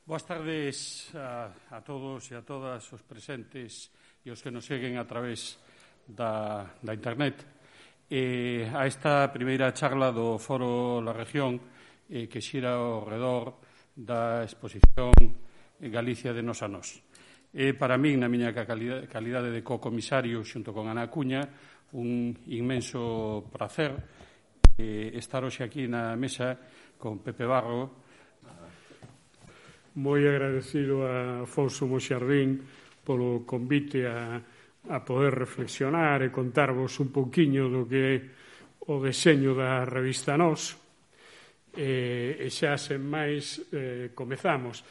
Boas tardes a todos e a todas os presentes e os que nos seguen a través da internet a esta primeira charla do Foro La Región que xira ao redor da exposición Galicia de Nos a Nós. Para min, na miña calidade de co-comisario xunto con Ana Acuña, un inmenso prazer estar hoxe aquí na mesa con Pepe Barro. Moi agradecido a Afonso Moxardín polo convite a poder reflexionar e contarvos un pouquiño do que é o deseño da revista Nós. E xa sen máis comezamos.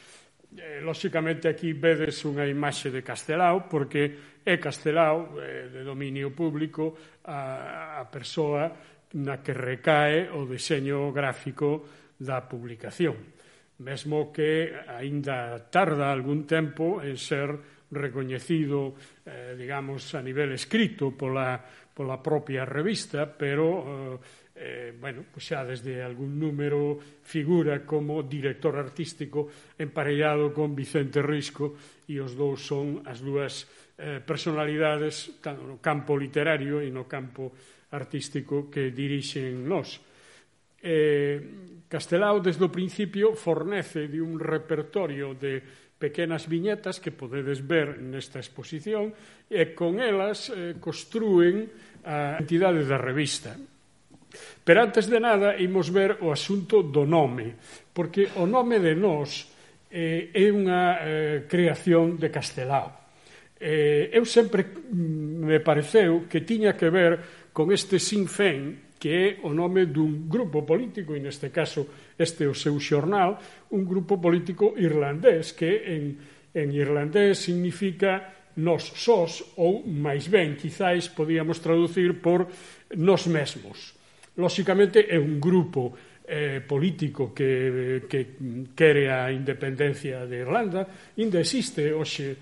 Lóxicamente aquí vedes unha imaxe de Castelao, porque é Castelao de dominio público a persoa na que recae o deseño gráfico da publicación. Mesmo que aínda tarda algún tempo en ser recoñecido, digamos, a nivel escrito pola propia revista, pero, bueno, pues xa desde algún número figura como director artístico emparellado con Vicente Risco, e os dous son as dúas personalidades no campo literario e no campo artístico que dirixen Nós. Castelao, desde o principio, fornece de un repertorio de pequenas viñetas que podedes ver nesta exposición e con elas construen a entidade da revista. Pero antes de nada, imos ver o asunto do nome, porque o nome de Nós é unha creación de Castelao. Eu sempre me pareceu que tiña que ver con este Sinn Féin, que é o nome dun grupo político, e neste caso este é o seu xornal, un grupo político irlandés, que en irlandés significa nós sós, ou máis ben, quizáis podíamos traducir por nós mesmos. Lóxicamente é un grupo político que quere a independencia de Irlanda, ainda existe hoxe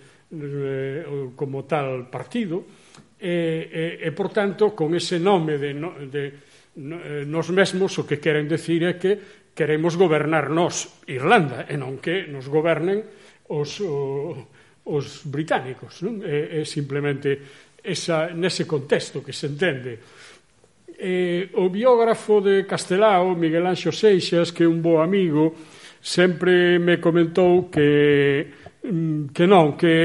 como tal partido, e por tanto, con ese nome de nós mesmos, o que queren decir é que queremos gobernar nós, Irlanda, e non que nos gobernen os británicos, non? É simplemente nese contexto que se entende. O biógrafo de Castelao, Miguel Anxo Seixas, que é un bo amigo, sempre me comentou que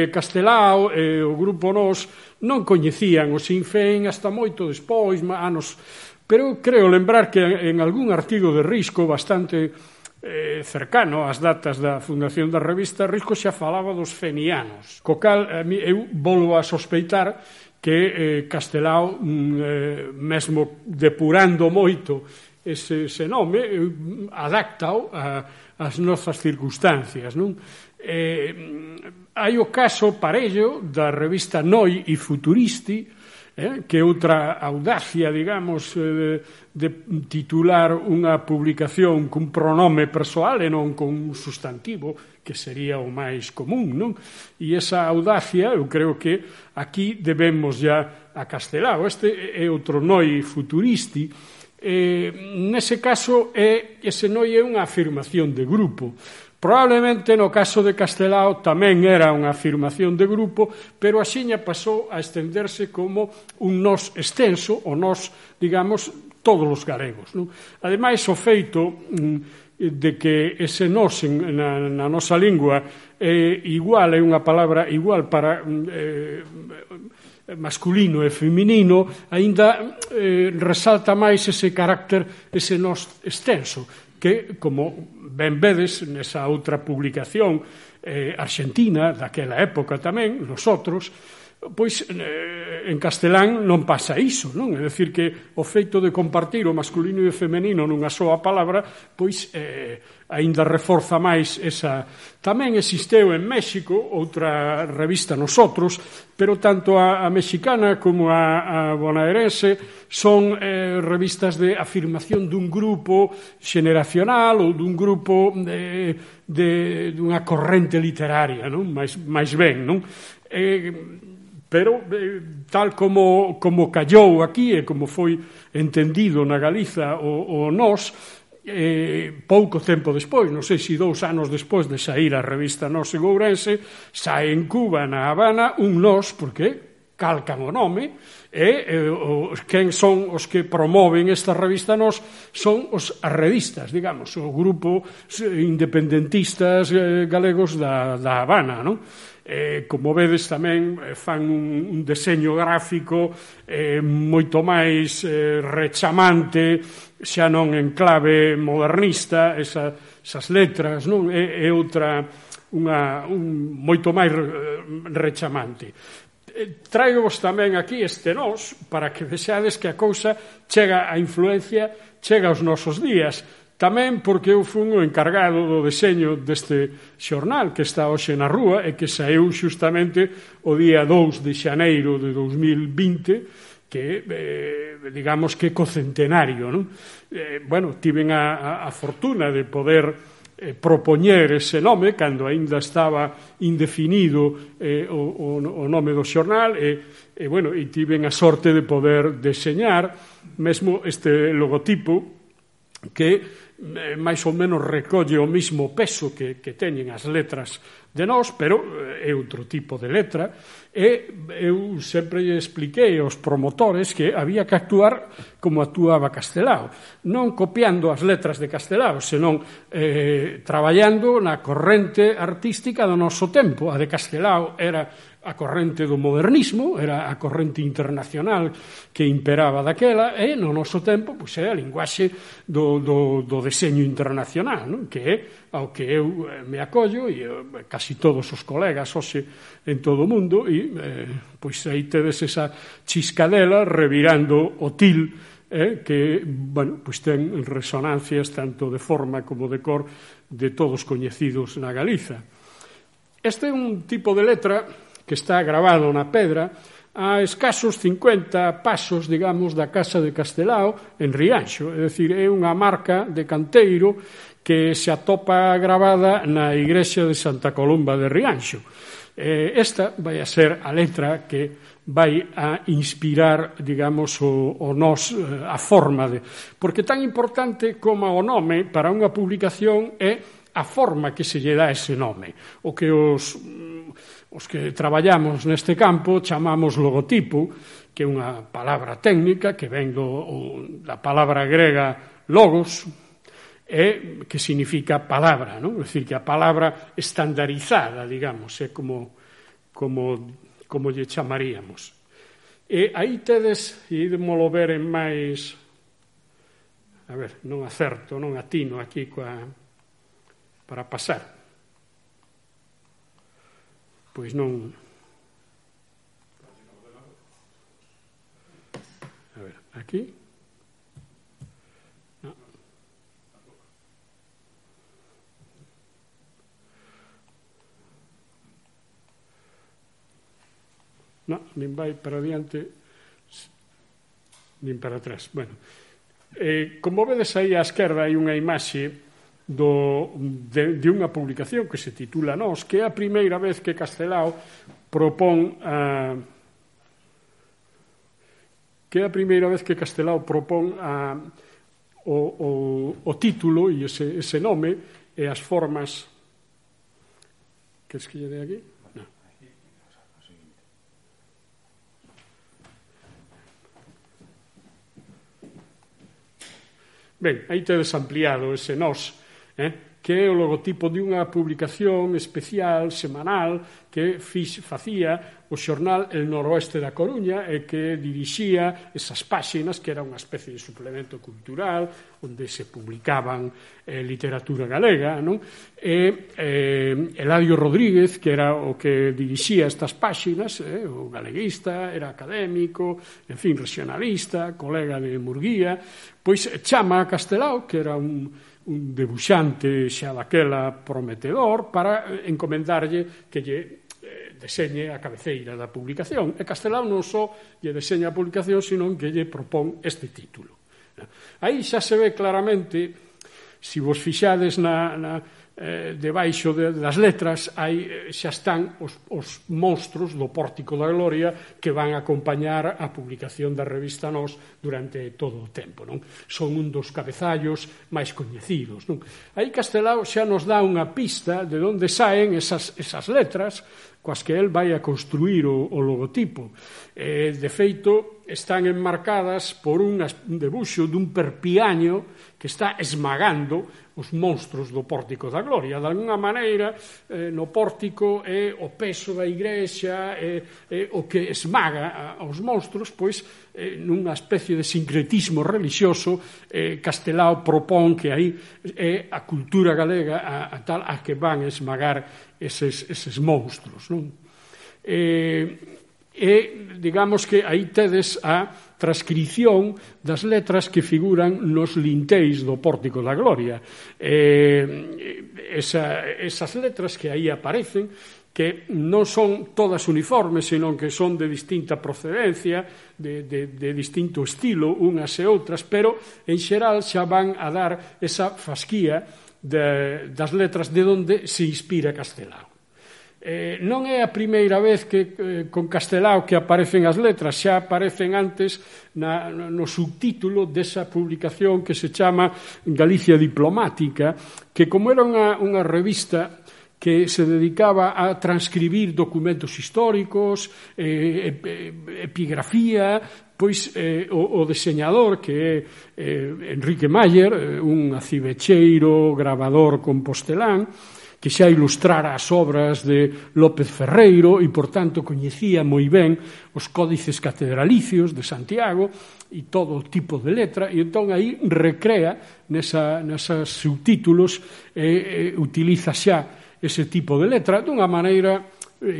Castelao e o grupo Nós non coñecían o Sinn Féin hasta moito despois, anos. Pero creo lembrar que en algún artigo de Risco bastante cercano ás datas da fundación da revista, Risco xa falaba dos fenianos, co cal eu volvo a sospeitar que Castelao, mesmo depurando moito ese nome, adaptao ás nosas circunstancias, non? Hai o caso parello da revista Noi e Futuristi, que é outra audacia, digamos, de titular unha publicación cun pronome persoal e non con un sustantivo, que sería o máis común, non? E esa audacia, eu creo que aquí debemos ya a Castelao. Este é outro Noi Futuristi. Nese caso, ese Noi é unha afirmación de grupo. Probablemente no caso de Castelao tamén era unha afirmación de grupo, pero axiña pasou a estenderse como un nós extenso, o nós, digamos, todos os galegos, non? Ademais, o feito de que ese nós na nosa lingua igual, é unha palabra igual para masculino e feminino, aínda resalta máis ese carácter, ese nós extenso, que, como ben vedes nesa outra publicación arxentina, daquela época tamén, nosotros, pois en castelán non pasa iso, non? É dicir que o feito de compartir o masculino e o femenino nunha soa palabra, pois aínda reforza máis esa. Tamén existeu en México outra revista Nosotros, pero tanto a mexicana como a bonaerense son revistas de afirmación dun grupo xeneracional ou dun grupo dunha corrente literaria, non? máis ben, non? Pero tal como callou aquí e como foi entendido na Galiza o nós, pouco tempo despois, non sei se 2 anos despois de sair a revista Nós en Ourense, sae en Cuba, na Habana, un Nós, porque calcan o nome, e quen son os que promoven esta revista Nós son os arredistas, digamos, o grupo independentistas galegos da Habana, non? Como vedes tamén fan un deseño gráfico moito máis rechamante, xa non en clave modernista, esas letras, non? É outra, moito máis rechamante. Traigos tamén aquí este Nós para que vexades que a cousa chega, a influencia chega aos nosos días. Tamén porque eu fui o encargado do deseño deste xornal que está hoxe na rúa e que saíu xustamente o día 2 de xaneiro de 2020, que, digamos que cocentenario, non? Bueno, tiven a fortuna de poder propoñer ese nome cando aínda estaba indefinido o nome do xornal e tiven a sorte de poder deseñar mesmo este logotipo que máis ou menos recolle o mismo peso que teñen as letras de Nós, pero é outro tipo de letra, e eu sempre expliquei aos promotores que había que actuar como actuaba Castelao, non copiando as letras de Castelao, senón traballando na corrente artística do noso tempo. A de Castelao era a corrente do modernismo, era a corrente internacional que imperaba daquela, e no noso tempo é a linguaxe do deseño internacional, non? Que é ao que eu me acollo, e casi todos os colegas hoxe en todo o mundo, e pois aí tedes esa chiscadela revirando o til, que, bueno, pois ten resonancias tanto de forma como de cor de todos coñecidos na Galiza. Este é un tipo de letra que está grabado na pedra a escasos 50 pasos, digamos, da casa de Castelao en Rianxo. É dicir, é unha marca de canteiro que se atopa grabada na igrexa de Santa Columba de Rianxo. Esta vai a ser a letra que vai a inspirar, digamos, o Nós, a forma de... Porque tan importante como o nome para unha publicación é a forma que se lle dá ese nome. O que os que traballamos neste campo chamamos logotipo, que é unha palabra técnica que ven da palabra grega logos, que significa palabra, non? É dicir, que a palabra estandarizada, digamos, é como lle chamaríamos. E aí tedes, e ídemolo ver en máis... A ver, non acerto, non atino aquí para pasar. Pois non... A ver, aquí... No, nin vai para adiante nin para atrás. Bueno, como vedes aí á esquerda hai unha imaxe de unha publicación que se titula Nós, que é a primeira vez que Castelao propón o título e ese nome e as formas que lle dei aquí. Ben, aí tedes ampliado ese Nós, que é o logotipo de unha publicación especial, semanal, que facía o xornal El Noroeste da Coruña e que dirixía esas páxinas que era unha especie de suplemento cultural onde se publicaban literatura galega, non? E Eladio Rodríguez, que era o que dirixía estas páxinas, o galeguista, era académico, en fin, regionalista, colega de Murguía, pois chama a Castelao, que era un debuxante xa daquela prometedor, para encomendarlle que lle deseñe a cabeceira da publicación. E Castelao non só lle deseña a publicación, senón que lle propón este título. Aí xa se ve claramente, se vos fixades debaixo das letras xa están os monstros do Pórtico da Gloria que van a acompañar a publicación da revista Nós durante todo o tempo, non? Son un dos cabezallos máis coñecidos, non? Aí Castelao xa nos dá unha pista de onde saen esas letras coas que el vai a construir o logotipo. De feito, están enmarcadas por un debuxo dun perpiaño que está esmagando os monstros do Pórtico da Gloria. De alguna maneira, no pórtico é o peso da igrexa, é o que esmaga aos monstros, pois, nunha especie de sincretismo religioso, Castelao propón que aí é a cultura galega a que van esmagar eses monstros, non? Digamos que aí tedes a transcrición das letras que figuran nos linteis do Pórtico da Gloria. Esas letras que aí aparecen, que non son todas uniformes, senón que son de distinta procedencia, de distinto estilo, unhas e outras, pero en xeral xa van a dar esa fasquía das letras de onde se inspira Castelao. Non é a primeira vez que con Castelao que aparecen as letras, xa aparecen antes no subtítulo desa publicación que se chama Galicia Diplomática, que como era unha revista que se dedicaba a transcribir documentos históricos, epigrafía, pois o deseñador, que é Enrique Mayer, un acivecheiro, gravador compostelán, que xa ilustrara as obras de López Ferreiro e, por tanto, coñecía moi ben os códices catedralicios de Santiago e todo o tipo de letra, e entón aí recrea nesas subtítulos e utiliza xa ese tipo de letra dunha maneira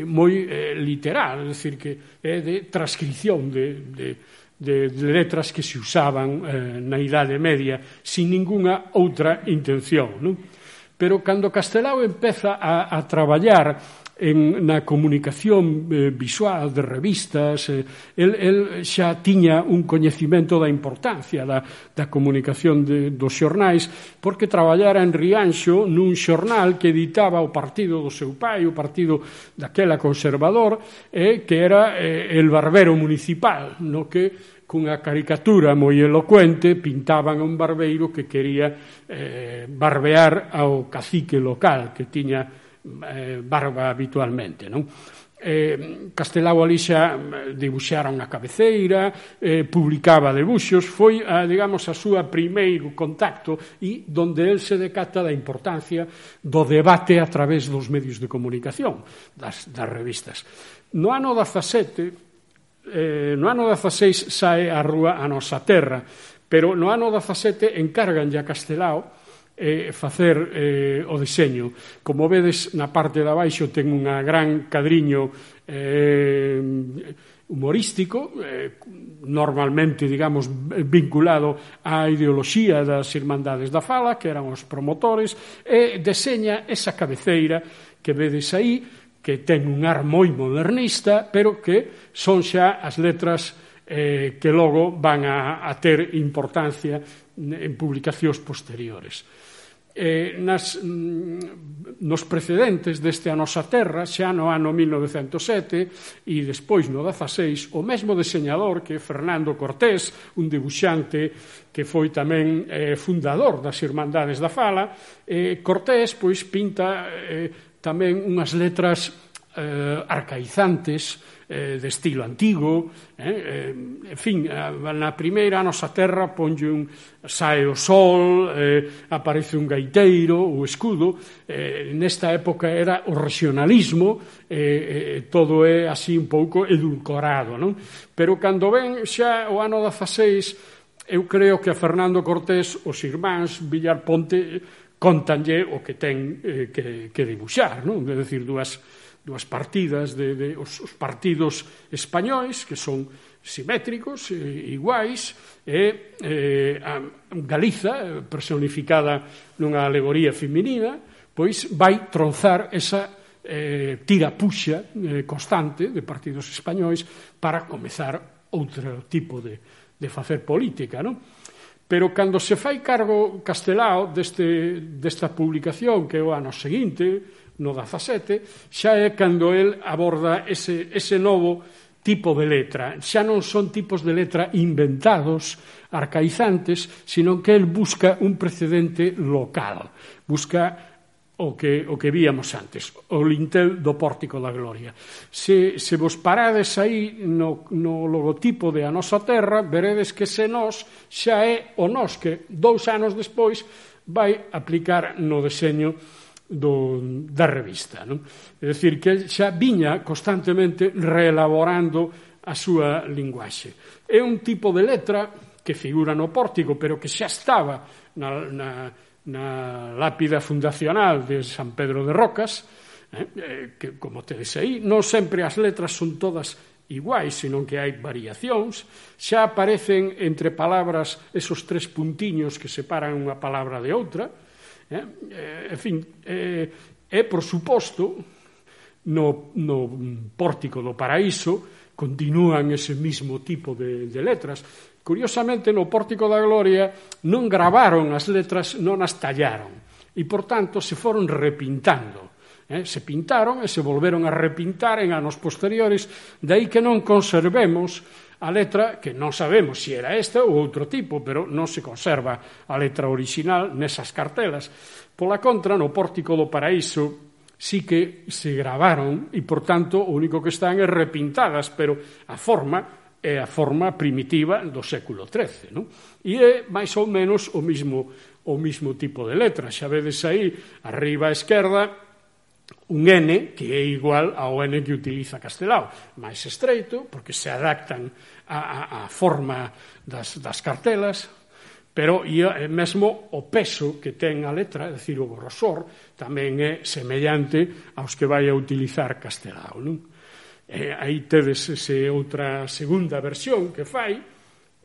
moi literal, é dicir, que é de transcripción de letras que se usaban na Idade Media sin ningunha outra intención, non? Pero cando Castelao empeza a traballar na comunicación visual de revistas, el xa tiña un coñecimento da importancia da comunicación dos xornais, porque traballara en Rianxo nun xornal que editaba o partido do seu pai, o partido daquela conservador, que era El Barbero Municipal, no que cunha caricatura moi elocuente pintaban a un barbeiro que quería barbear ao cacique local, que tiña barba habitualmente, non? Castelao ali xa dibuxara unha cabeceira, publicaba debuxos, foi, digamos, a súa primeiro contacto e donde el se decata da importancia do debate a través dos medios de comunicación, das revistas. No ano 17, no ano 16 sae a rúa A Nosa Terra, pero no ano 17 encarganlle a Castelao facer o deseño. Como vedes, na parte de abaixo ten un gran cadriño humorístico, normalmente, digamos, vinculado á ideoloxía das Irmandades da Fala, que eran os promotores, e deseña esa cabeceira que vedes aí, que ten un ar moi modernista, pero que son xa as letras que logo van a ter importancia en publicacións posteriores. Nos precedentes deste A Nosa Terra, xa no ano 1907 e despois no 16, o mesmo deseñador, que é Fernando Cortés, un debuxante que foi tamén fundador das Irmandades da Fala, Cortés pois pinta tamén unhas letras arcaizantes, de estilo antigo, en fin, na primeira A Nosa Terra sae o sol, aparece un gaiteiro, o escudo, nesta época era o regionalismo, todo é así un pouco edulcorado, non? Pero cando ven xa o ano 16, eu creo que a Fernando Cortés, os irmáns Villar Ponte, contanlle o que ten que dibuixar, non? É dicir, dúas partidas os partidos españois, que son simétricos, iguais, e Galiza, personificada nunha alegoría feminina, pois vai tronzar esa tira-puxa constante de partidos españois para comezar outro tipo de facer política, non? pero cando se fai cargo Castelao desta publicación, que é o ano seguinte, no 17, xa é cando el aborda ese novo tipo de letra. Xa non son tipos de letra inventados, arcaizantes, sino que el busca un precedente local, busca o que víamos antes, o lintel do Pórtico da Gloria. Se vos parades aí no logotipo de A Nosa Terra, veredes que ese nós xa é o nós que 2 anos despois vai aplicar no deseño da revista, non? É dicir, que xa viña constantemente reelaborando a súa linguaxe. É un tipo de letra que figura no pórtico, pero que xa estaba na lápida fundacional de San Pedro de Rocas, que, como tedes aí, non sempre as letras son todas iguais, senón que hai variacións. Xa aparecen entre palabras esos 3 puntiños que separan unha palabra de outra. En fin, por suposto, no Pórtico do Paraíso continúan ese mismo tipo de letras. Curiosamente, no Pórtico da Gloria non gravaron as letras, non as tallaron, e, por tanto, se foron repintando. Se pintaron e se volveron a repintar en anos posteriores, de aí que non conservemos a letra, que non sabemos se era esta ou outro tipo, pero non se conserva a letra original nesas cartelas. Pola contra, no Pórtico do Paraíso sí que se gravaron e, por tanto, o único que están é repintadas, pero a forma é a forma primitiva do século XIII, non? E é máis ou menos o mismo tipo de letra. Xa vedes aí, arriba á esquerda, un N que é igual ao N que utiliza Castelao, máis estreito, porque se adaptan á forma das cartelas, pero mesmo o peso que ten a letra, é dicir, o grosor, tamén é semellante aos que vai a utilizar Castelao, non? Aí tedes outra segunda versión que fai,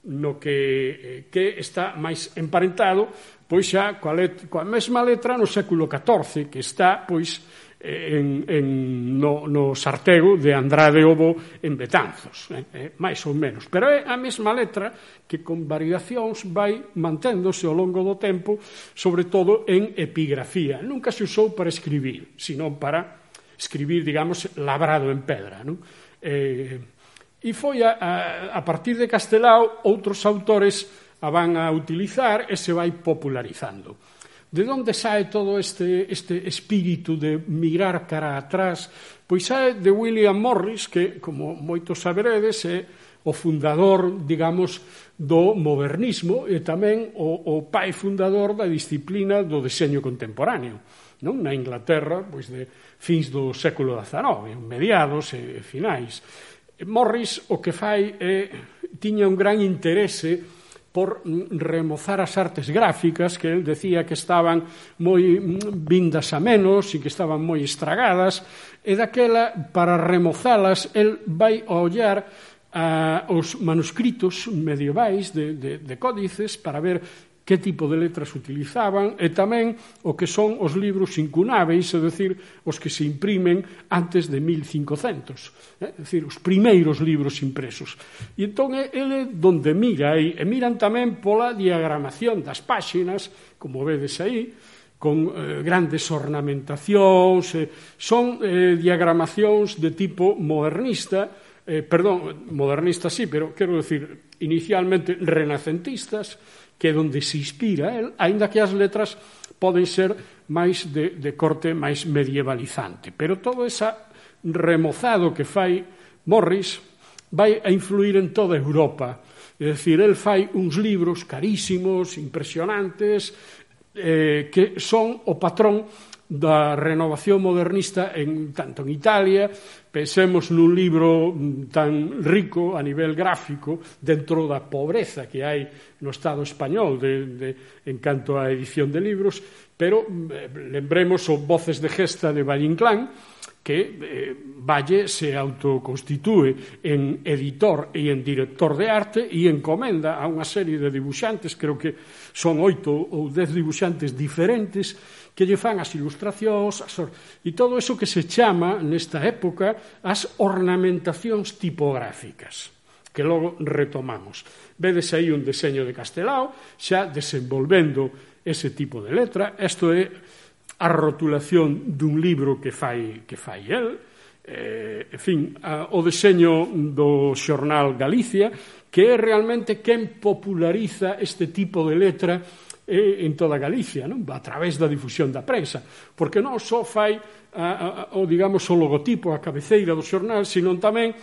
no que está máis emparentado, pois xa coa mesma letra no século XIV, que está, pois, no Sartego de Andrade Obo en Betanzos, máis ou menos. Pero é a mesma letra que con variacións vai manténdose ao longo do tempo, sobre todo en epigrafía. Nunca se usou para escribir, senón para escribir, digamos, labrado en pedra, non? E foi a partir de Castelao outros autores a van a utilizar e se vai popularizando. De onde sae todo este espírito de mirar cara atrás? Pois sae de William Morris, que, como moitos saberedes, é o fundador, digamos, do modernismo e tamén o pai fundador da disciplina do deseño contemporáneo, non? Na Inglaterra, pois, de fins do século XIX, mediados e finais. Morris o que fai tiña un gran interese por remozar as artes gráficas, que el decía que estaban moi vindas a menos e que estaban moi estragadas, e daquela, para remozalas, el vai a ollar os manuscritos medievais de códices para ver que tipo de letras utilizaban e tamén o que son os libros incunáveis, é dicir, os que se imprimen antes de 1500, é dicir, os primeiros libros impresos. E entón ele donde mira aí, e miran tamén pola diagramación das páxinas, como vedes aí, con grandes ornamentacións, son diagramacións de tipo modernista, modernista sí, pero quero decir, inicialmente renacentistas, que é onde se inspira el, aínda que as letras poden ser máis de corte máis medievalizante. Pero todo ese remozado que fai Morris vai a influir en toda Europa. É dicir, el fai uns libros carísimos, impresionantes, que son o patrón da renovación modernista tanto en Italia. Pensemos nun libro tan rico a nivel gráfico dentro da pobreza que hai no Estado español en canto á edición de libros, pero lembremos o Voces de Gesta de Valle Inclán, que Valle se autoconstitúe en editor e en director de arte e encomenda a unha serie de dibuixantes, creo que son 8 ou 10 dibuixantes diferentes, que lle fan as ilustracións, e todo eso que se chama, nesta época, as ornamentacións tipográficas. que logo retomamos. Vedes aí un deseño de Castelao, xa desenvolvendo ese tipo de letra. Isto é a rotulación dun libro que fai el, en fin, o deseño do xornal Galicia, que é realmente quen populariza este tipo de letra en toda Galicia, non? A través da difusión da prensa, porque non só fai o logotipo, a cabeceira do xornal, sino tamén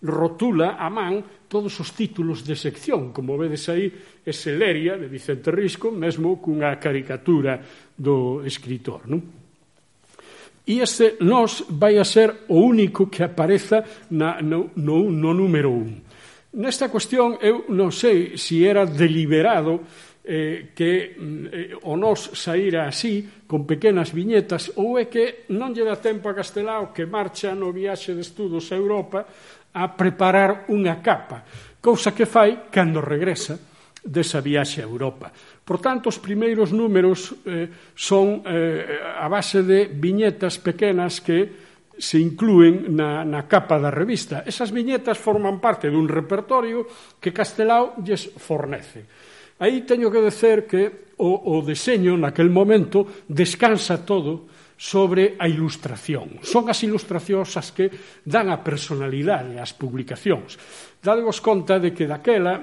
rotula a man todos os títulos de sección, como vedes aí, ese Leria de Vicente Risco, mesmo cunha caricatura do escritor, non? E este Nós vai a ser o único que apareza no número 1. Nesta cuestión, eu non sei se era deliberado que o Nós saíra así, con pequenas viñetas, ou é que non lle dá tempo a Castelao, que marcha no viaxe de estudos a Europa, a preparar unha capa, cousa que fai cando regresa desa viaxe a Europa. Por tanto, os primeiros números son a base de viñetas pequenas que se inclúen na capa da revista. Esas viñetas forman parte dun repertorio que Castelao lles fornece. Aí teño que dizer que o deseño naquel momento descansa todo sobre a ilustración. Son as ilustracións as que dan a personalidade ás publicacións. Dadevos conta de que daquela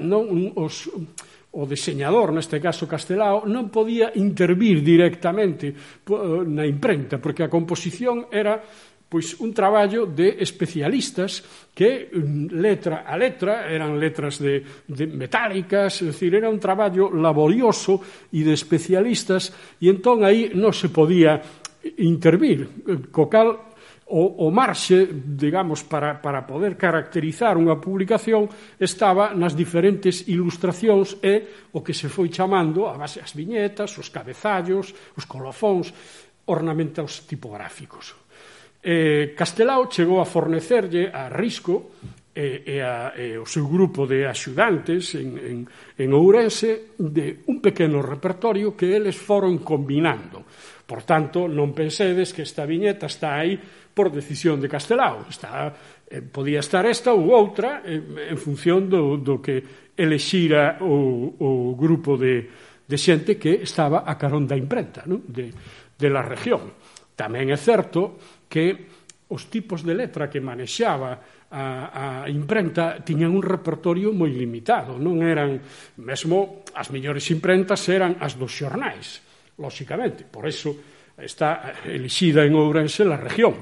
o deseñador, neste caso Castelao, non podía intervir directamente na imprenta, porque a composición era un traballo de especialistas que letra a letra eran letras de metálicas, é dicir, era un traballo laborioso e de especialistas, e entón aí non se podía intervir, co cal o marxe, digamos, para poder caracterizar unha publicación estaba nas diferentes ilustracións e o que se foi chamando a base as viñetas, os cabezallos, os colofóns, ornamentos tipográficos. Castelao chegou a fornecerlle a Risco e o seu grupo de axudantes en Ourense de un pequeno repertorio que eles foron combinando. Por tanto, non pensedes que esta viñeta está aí por decisión de Castelao. Podía estar esta ou outra en función do que elexira o grupo de xente que estaba a carón da imprenta, non? De la región. Tamén é certo que os tipos de letra que manexaba a imprenta tiñan un repertorio moi limitado, non eran, mesmo as mellores imprentas eran as dos xornais, lóxicamente, por eso está elixida en Ourense la región.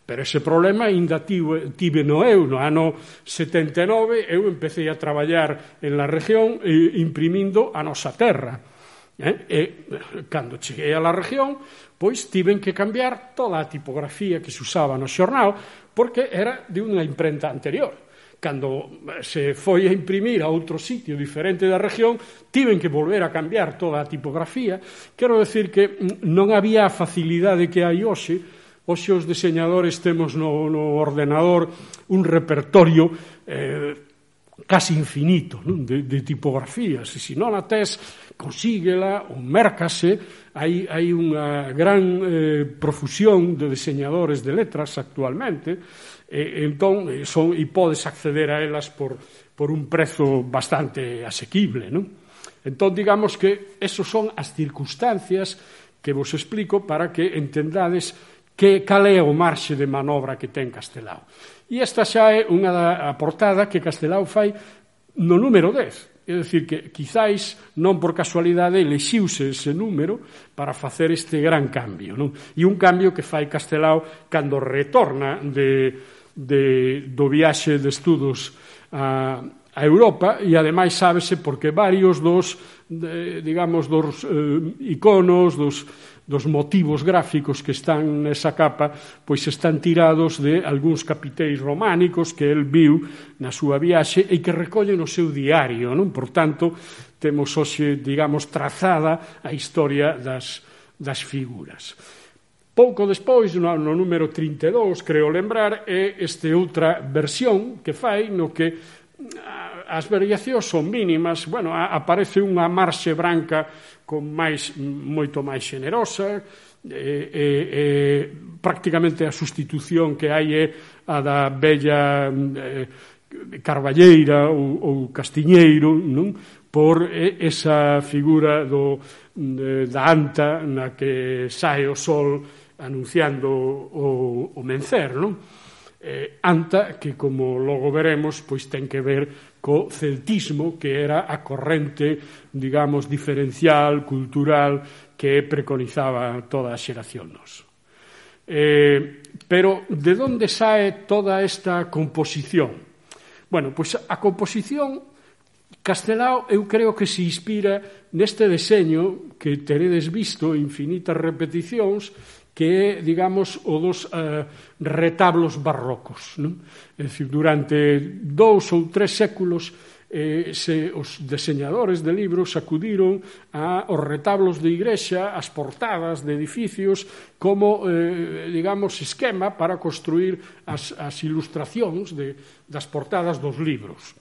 Pero ese problema ainda tive no ano 79, eu empecé a traballar en la región imprimindo a nosa terra. E cando cheguei a la región, pois tiven que cambiar toda a tipografía que se usaba no xornal, porque era de unha imprenta anterior. Cando se foi a imprimir a outro sitio diferente da región, tiven que volver a cambiar toda a tipografía. Quero decir que non había a facilidade que hai hoxe. Hoxe os diseñadores temos no ordenador un repertorio casi infinito, non? De tipografías, e se non a tes, consíguela ou mércase. Hai unha gran profusión de diseñadores de letras actualmente, entón podes acceder a elas por un prezo bastante asequible, non? Entón, digamos que esos son as circunstancias que vos explico para que entendades cal é o marxe de manobra que ten Castelao. E esta xa é unha portada que Castelao fai no número 10. É dicir, que quizáis non por casualidade elexiuse ese número para facer este gran cambio, non? E un cambio que fai Castelao cando retorna do viaxe de estudos a Europa, e ademais sábese porque varios dos iconos, dos motivos gráficos que están nesa capa, pois están tirados de algúns capiteis románicos que el viu na súa viaxe e que recolle no seu diario, non? Por tanto, temos hoxe, digamos, trazada a historia das figuras. Pouco despois, no número 32, creo lembrar, é esta outra versión que fai no que as variacións son mínimas. Bueno, aparece unha marxe branca moito máis xenerosa, prácticamente a sustitución que hai é a da bella Carballeira ou Castiñeiro, non? Por esa figura da anta na que sae o sol anunciando o mencer, non? Anta que, como logo veremos, pois ten que ver co celtismo, que era a corrente, digamos, diferencial, cultural, que preconizaba toda a xeración nos. Pero de onde sae toda esta composición? Bueno, pois a composición, Castelao, eu creo que se inspira neste deseño que teredes visto infinitas repeticións, que é, digamos, o dos retablos barrocos, non? É dicir, durante 2 ou 3 séculos os deseñadores de libros acudiron aos retablos de igrexa, as portadas de edificios, como, digamos, esquema para construir as ilustracións das portadas dos libros.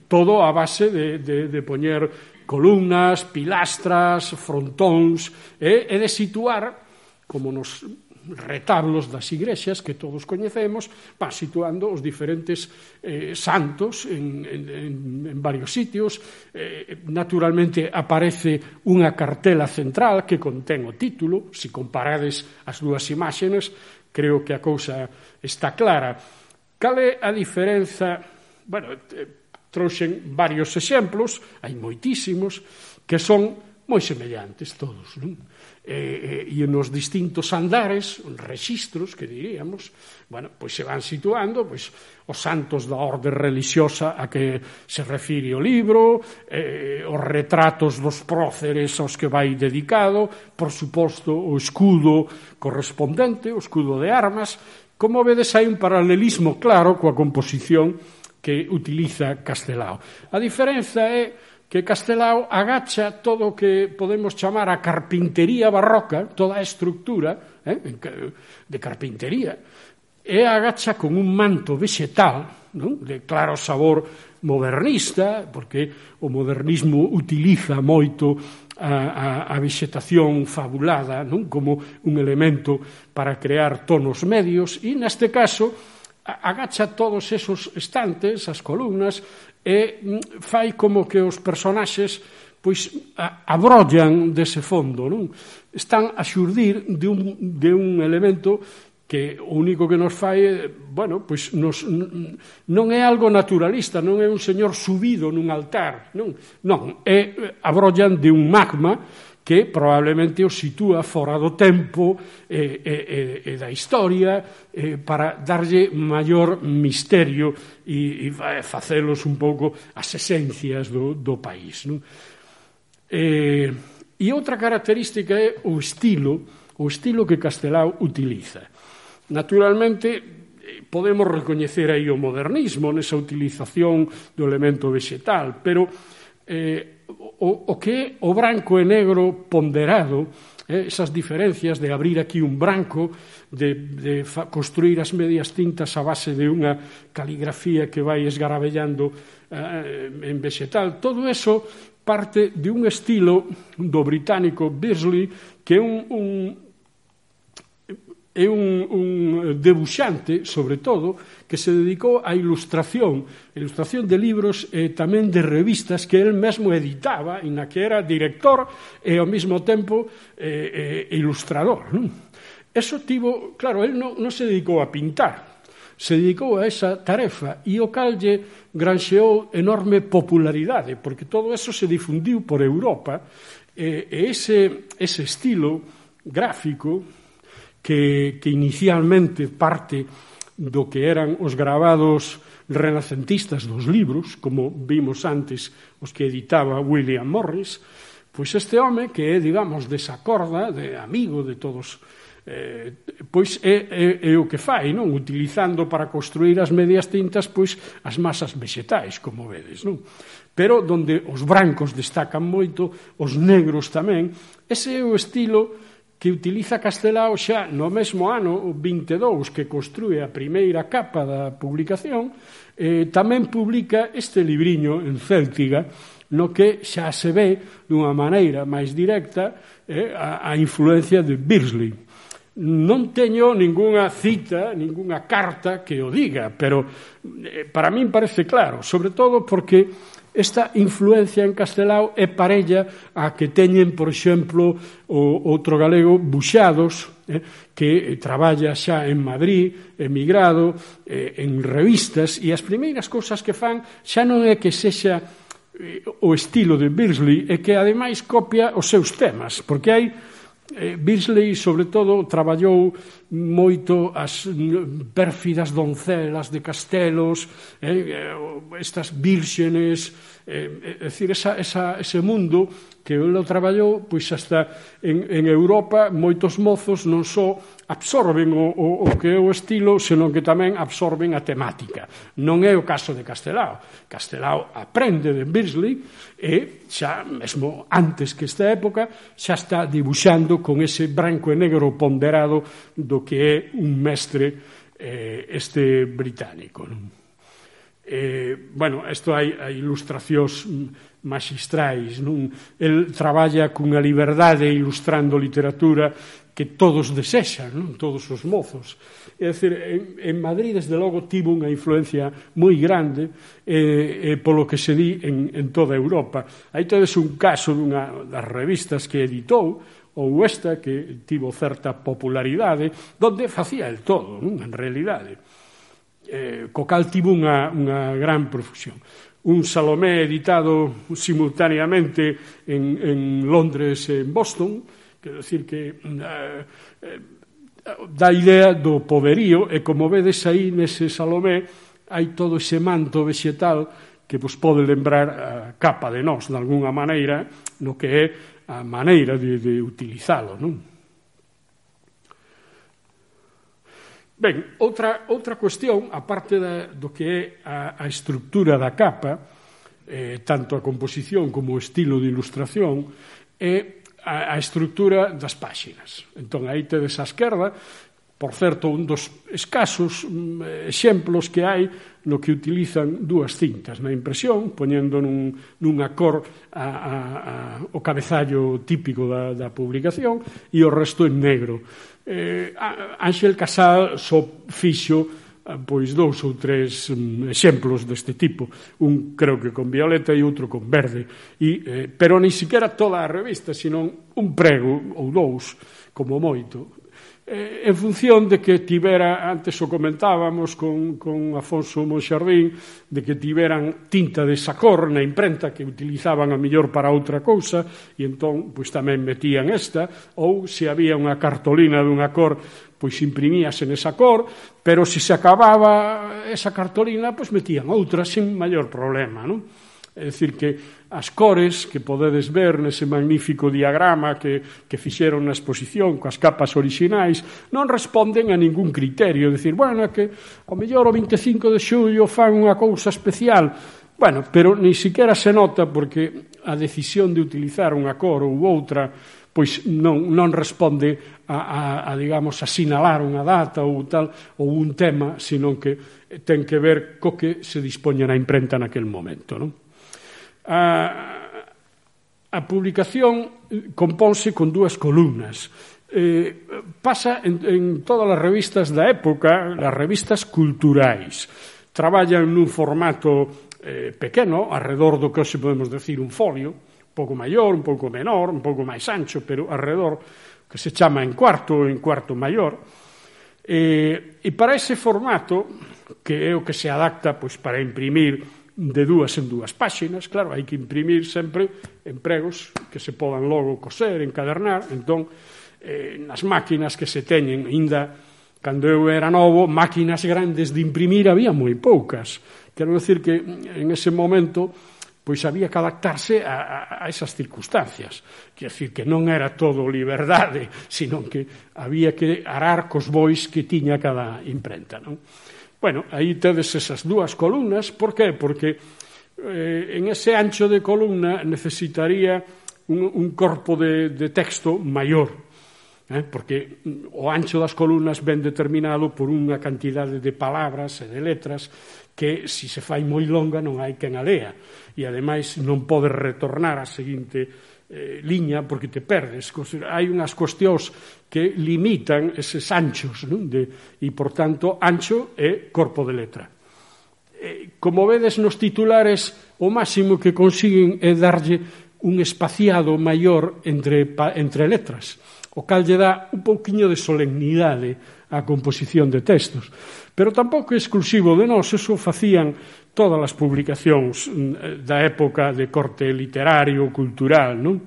Todo a base de poñer columnas, pilastras, frontóns, e de situar, como nos retablos das igrexas que todos coñecemos, van situando os diferentes santos en varios sitios. Naturalmente aparece unha cartela central que contén o título. Se comparades as dúas imaxes, creo que a cousa está clara. Cal é a diferenza? Bueno, trouxen varios exemplos, hai moitísimos, que son moi semellantes todos, non? E nos distintos andares, rexistros, que diríamos, bueno, pois se van situando pois os santos da orde relixiosa a que se refire o libro, os retratos dos próceres aos que vai dedicado, por suposto o escudo correspondente, o escudo de armas. Como vedes, hai un paralelismo claro coa composición que utiliza Castelao. A diferenza é que Castelao agacha todo o que podemos chamar a carpintería barroca, toda a estructura de carpintería, e agacha con un manto vexetal, non? De claro sabor modernista, porque o modernismo utiliza moito a vexetación fabulada, non? Como un elemento para crear tonos medios, e neste caso agacha todos esos estantes, as columnas, e fai como que os personaxes pois abrollan dese fondo, non? Están a xurdir de un elemento que o único que nos fai, bueno, pois non é algo naturalista, non é un señor subido nun altar, non, abrollan de un magma que probablemente o sitúa fora do tempo e da historia, para darlle maior misterio e facelos un pouco as esencias do país, non? E outra característica é o estilo que Castelao utiliza. Naturalmente, podemos recoñecer aí o modernismo nesa utilización do elemento vexetal, pero o que é o branco e negro ponderado, esas diferencias de abrir aquí un branco, de construir as medias tintas a base de unha caligrafía que vai esgarabellando en vexetal, todo eso parte de un estilo do británico Beardsley, que é un debuxante, sobre todo, que se dedicou á ilustración de libros e tamén de revistas que el mesmo editaba, e na que era director e ao mesmo tempo ilustrador, non? Eso tivo, claro, el non se dedicou a pintar, se dedicou a esa tarefa, e o cal lle granxeou enorme popularidade, porque todo eso se difundiu por Europa, e ese estilo gráfico que inicialmente parte do que eran os gravados renacentistas dos libros, como vimos antes os que editaba William Morris, pois este home que é, digamos, desa corda, de amigo de todos, pois é o que fai, non? Utilizando para construir as medias tintas pois as masas vexetais, como vedes, non? Pero donde os brancos destacan moito, os negros tamén, ese é o estilo que utiliza Castelao xa no mesmo ano 22 que construe a primeira capa da publicación. Tamén publica este libriño en céltiga, no que xa se ve dunha maneira máis directa a influencia de Beardsley. Non teño ningunha cita, ningunha carta que o diga, pero para min parece claro, sobre todo porque esta influencia en Castelao é parella a que teñen, por exemplo, o outro galego Buxados, que traballa xa en Madrid, emigrado, en revistas, e as primeiras cousas que fan xa non é que sexa o estilo de Beardsley, é que ademais copia os seus temas, porque hai Beardsley, sobre todo, traballou moito as pérfidas doncelas de castelos, estas vírgenes, é dicir, ese mundo que ele traballou, pois hasta en Europa moitos mozos non só absorben o que é o estilo, senón que tamén absorben a temática. Non é o caso de Castelao. Castelao aprende de Beardsley e xa, mesmo antes que esta época, xa está dibuixando con ese branco e negro ponderado do que é un mestre este británico. Bueno, isto hai ilustracións maxistrais, non? El traballa cunha liberdade ilustrando literatura que todos desexan, non? Todos os mozos. É dicir, en Madrid, desde logo, tivo unha influencia moi grande polo que se di en toda Europa. Aí tedes un caso dunha das revistas que editou, ou esta, que tivo certa popularidade, donde facía el todo, non? En realidade. Co cal tivo unha gran profusión. Un Salomé editado simultáneamente en Londres e en Boston, quero dicir que dá idea do poderío, e como vedes aí nese Salomé hai todo ese manto vegetal que vos pode lembrar a capa de nós, de alguna maneira, no que é a maneira de utilizalo, non? Ben, outra cuestión, aparte do que é a estructura da capa, tanto a composición como o estilo de ilustración, é a estructura das páxinas. Entón, aí tedes á esquerda, por certo, un dos escasos exemplos que hai no que utilizan dúas cintas na impresión, poñendo nunha cor o cabezallo típico da publicación e o resto en negro. Ángel Casal só fixo pois 2 ou 3 exemplos deste tipo, un creo que con violeta e outro con verde, pero nin siquiera toda a revista, senón un prego ou 2 como moito, en función de que tivera, antes o comentábamos con Afonso Monxardín, de que tiveran tinta de esa cor na imprenta que utilizaban a mellor para outra cousa, e entón pois tamén metían esta, ou se había unha cartolina dunha cor, pois imprimíase nesa cor, pero se acababa esa cartolina, pois metían outra sin maior problema, non? É dicir, que as cores que podedes ver nese magnífico diagrama que fixeron na exposición coas capas orixinais non responden a ningún criterio. É dicir, bueno, é que ao mellor o 25 de xullo fan unha cousa especial. Bueno, pero ni siquiera se nota porque a decisión de utilizar unha cor ou outra pois non responde a digamos, a sinalar unha data ou tal, ou un tema, senón que ten que ver co que se dispoña na imprenta naquel momento, non? A publicación compónse con 2 columnas. Pasa en todas as revistas da época, as revistas culturais. Traballan nun formato pequeno, arredor do que hoxe podemos decir un folio, un pouco maior, un pouco menor, un pouco máis ancho, pero arredor, que se chama en cuarto maior. E para ese formato, que é o que se adapta pois, para imprimir de 2 en 2 páxinas, claro, hai que imprimir sempre en pregos que se podan logo coser, encadernar, entón, nas máquinas que se teñen, ainda, cando eu era novo, máquinas grandes de imprimir había moi poucas. Quero decir que en ese momento, pois había que adaptarse a esas circunstancias. Quero decir que non era todo liberdade, sino que había que arar cos bois que tiña cada imprenta, non? Bueno, aí tedes esas 2 columnas. Por qué? Porque en ese ancho de columna necesitaría un corpo de texto maior, porque o ancho das columnas ven determinado por unha cantidade de palabras e de letras que, se se fai moi longa, non hai quen a lea, e ademais non pode retornar a seguinte liña porque te perdes. Hai unhas cuestións que limitan eses anchos, non? E, por tanto, ancho é corpo de letra. Como vedes nos titulares, o máximo que consiguen é darlle un espaciado maior entre letras, o cal lle dá un pouquiño de solemnidade á composición de textos. Pero tampouco é exclusivo de nós, eso facían todas as publicacións da época de corte literario, cultural, non?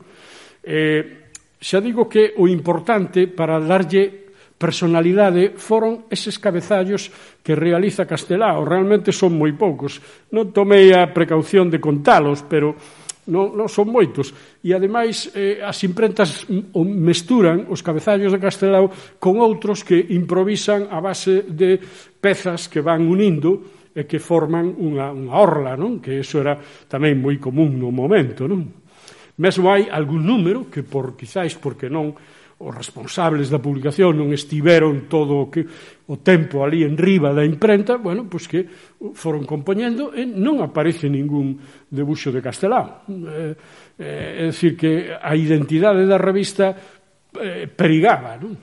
Xa digo que o importante para darlle personalidade foron eses cabezallos que realiza Castelao. Realmente son moi poucos. Non tomei a precaución de contalos, pero non son moitos. E, ademais, as imprentas mesturan os cabezallos de Castelao con outros que improvisan a base de pezas que van unindo e que forman unha orla, non? Que iso era tamén moi común no momento, non? Mesmo hai algún número que, quizáis porque non os responsables da publicación non estiveron todo o tempo ali en riba da imprenta, bueno, pois que foron compoñendo e non aparece ningún debuxo de Castelao. É dicir, que a identidade da revista perigaba, non?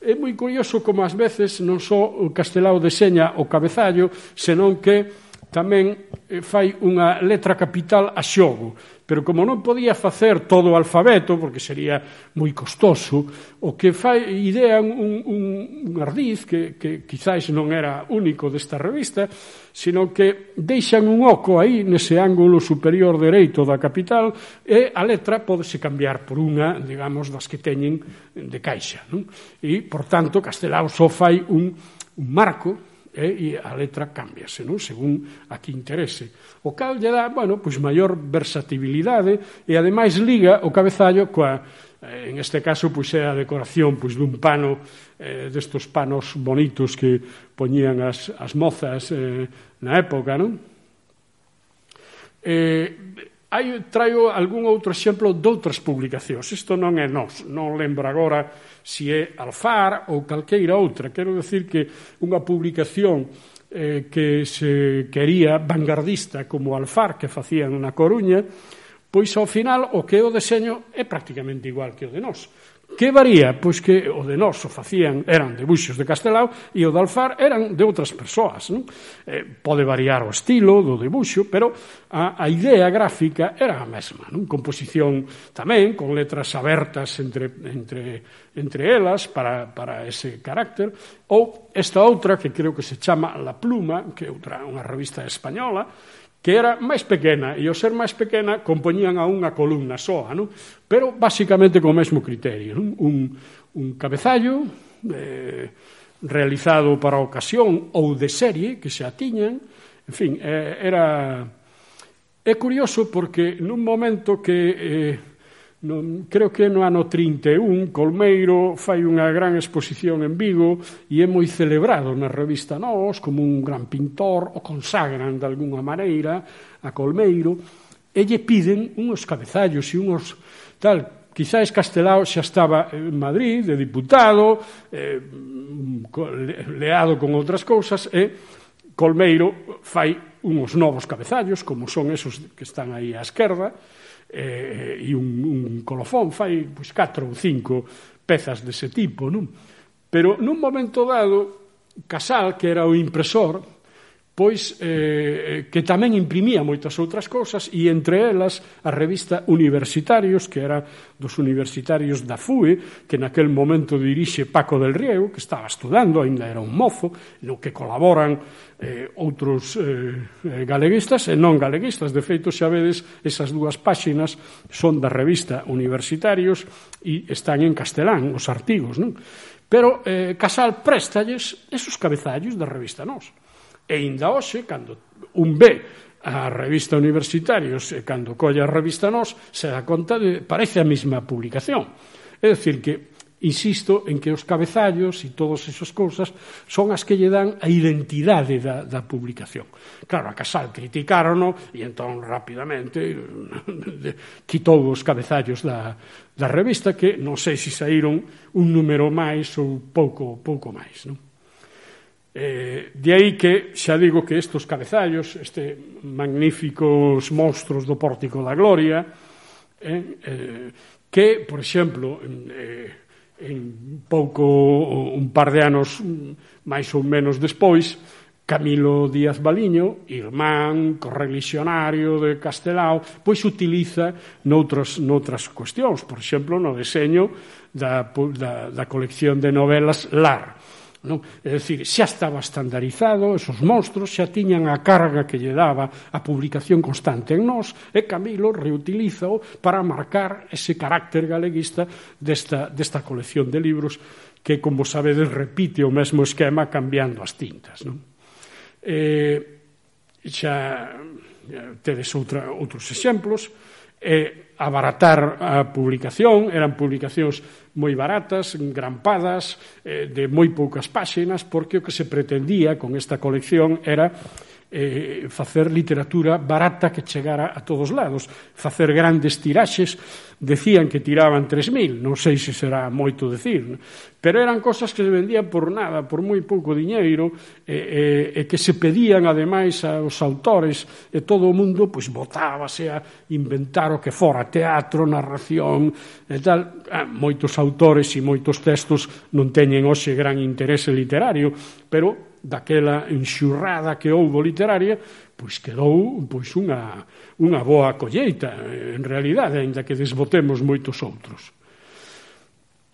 É moi curioso como ás veces non só o Castelao deseña o cabezallo, senón que tamén fai unha letra capital a xogo, pero como non podía facer todo o alfabeto, porque sería moi costoso, o que idean un ardiz que quizáis non era único desta revista, sino que deixan un oco aí nese ángulo superior dereito da capital e a letra pódese cambiar por unha, digamos, das que teñen de caixa, non? E, por tanto, Castelao só fai un marco e a letra cámbiase, non? Según a que interese. O cal lle dá, bueno, pois maior versatibilidade e ademais liga o cabezallo coa, en este caso, pois é a decoración pois dun pano, destos panos bonitos que poñían as mozas na época, non? Traio algún outro exemplo doutras publicacións. Isto non é nós, non lembro agora se é Alfar ou calqueira outra. Quero decir que unha publicación que se quería vanguardista como Alfar, que facían na Coruña, pois ao final o que é o deseño é prácticamente igual que o de nós. Que varía? Pois que o de nós o facían, eran debuxos de Castelao e o de Alfar eran de outras persoas, non? Pode variar o estilo do debuxo, pero a idea gráfica era a mesma, non? Composición tamén, con letras abertas entre elas para ese carácter, ou esta outra que creo que se chama La Pluma, que é unha revista española, que era máis pequena, e ao ser máis pequena compoñían a unha columna soa, non? Pero basicamente co mesmo criterio, non? Un cabezallo realizado para a ocasión ou de serie que se atiñan, en fin, é curioso porque nun momento que creo que no ano 31 Colmeiro fai unha gran exposición en Vigo e é moi celebrado na revista Nós como un gran pintor, o consagran de algunha maneira a Colmeiro e lle piden uns cabezallos e uns tal. Quizás Castelao xa estaba en Madrid de diputado, leado con outras cousas, e Colmeiro fai uns novos cabezallos como son esos que están aí á esquerda, e un colofón fai 4 ou 5 pezas dese tipo, non? Pero nun momento dado Casal, que era o impresor, pois que tamén imprimía moitas outras cousas e entre elas a revista Universitarios, que era dos universitarios da FUE, que naquel momento dirixe Paco del Riego, que estaba estudando, ainda era un mozo, no que colaboran outros galeguistas e non galeguistas. De feito, xa vedes, esas dúas páxinas son da revista Universitarios e están en castelán os artigos, non? Pero Casal préstalles esos cabezallos da revista Nós. E ainda hoxe, cando un ve a revista Universitarios e cando colle a revista Nós, se dá conta de parece a mesma publicación. É dicir que insisto en que os cabezallos e todas esas cousas son as que lle dan a identidade da publicación. Claro, a Casal criticárono e entón rapidamente quitou os cabezallos da revista, que non sei se saíron un número máis ou pouco máis, non? De aí que xa digo que estes cabezallos, magníficos monstros do Pórtico da Gloria, que, por exemplo, en un par de anos máis ou menos despois, Camilo Díaz Baliño, irmán, correligionario de Castelao, pois utiliza noutras cuestións, por exemplo, no deseño da colección de novelas Lar. Non? É dicir, xa estaba estandarizado, esos monstros xa tiñan a carga que lle daba a publicación constante en Nós, e Camilo reutilízao para marcar ese carácter galeguista desta colección de libros que, como sabedes, repite o mesmo esquema cambiando as tintas, non? Xa tedes outros exemplos. Abaratar a publicación, eran publicacións moi baratas, engrampadas, de moi poucas páxinas, porque o que se pretendía con esta colección era facer literatura barata que chegara a todos lados, facer grandes tiraxes. Decían que tiraban 3.000, non sei se será moito decir, pero eran cosas que se vendían por nada, por moi pouco diñeiro, e que se pedían ademais aos autores, e todo o mundo pois botábase a inventar o que fora, teatro, narración e tal. Moitos autores e moitos textos non teñen hoxe gran interese literario, pero daquela enxurrada que houbo literaria, pois quedou unha boa colleita, en realidade, aínda que desbotemos moitos outros.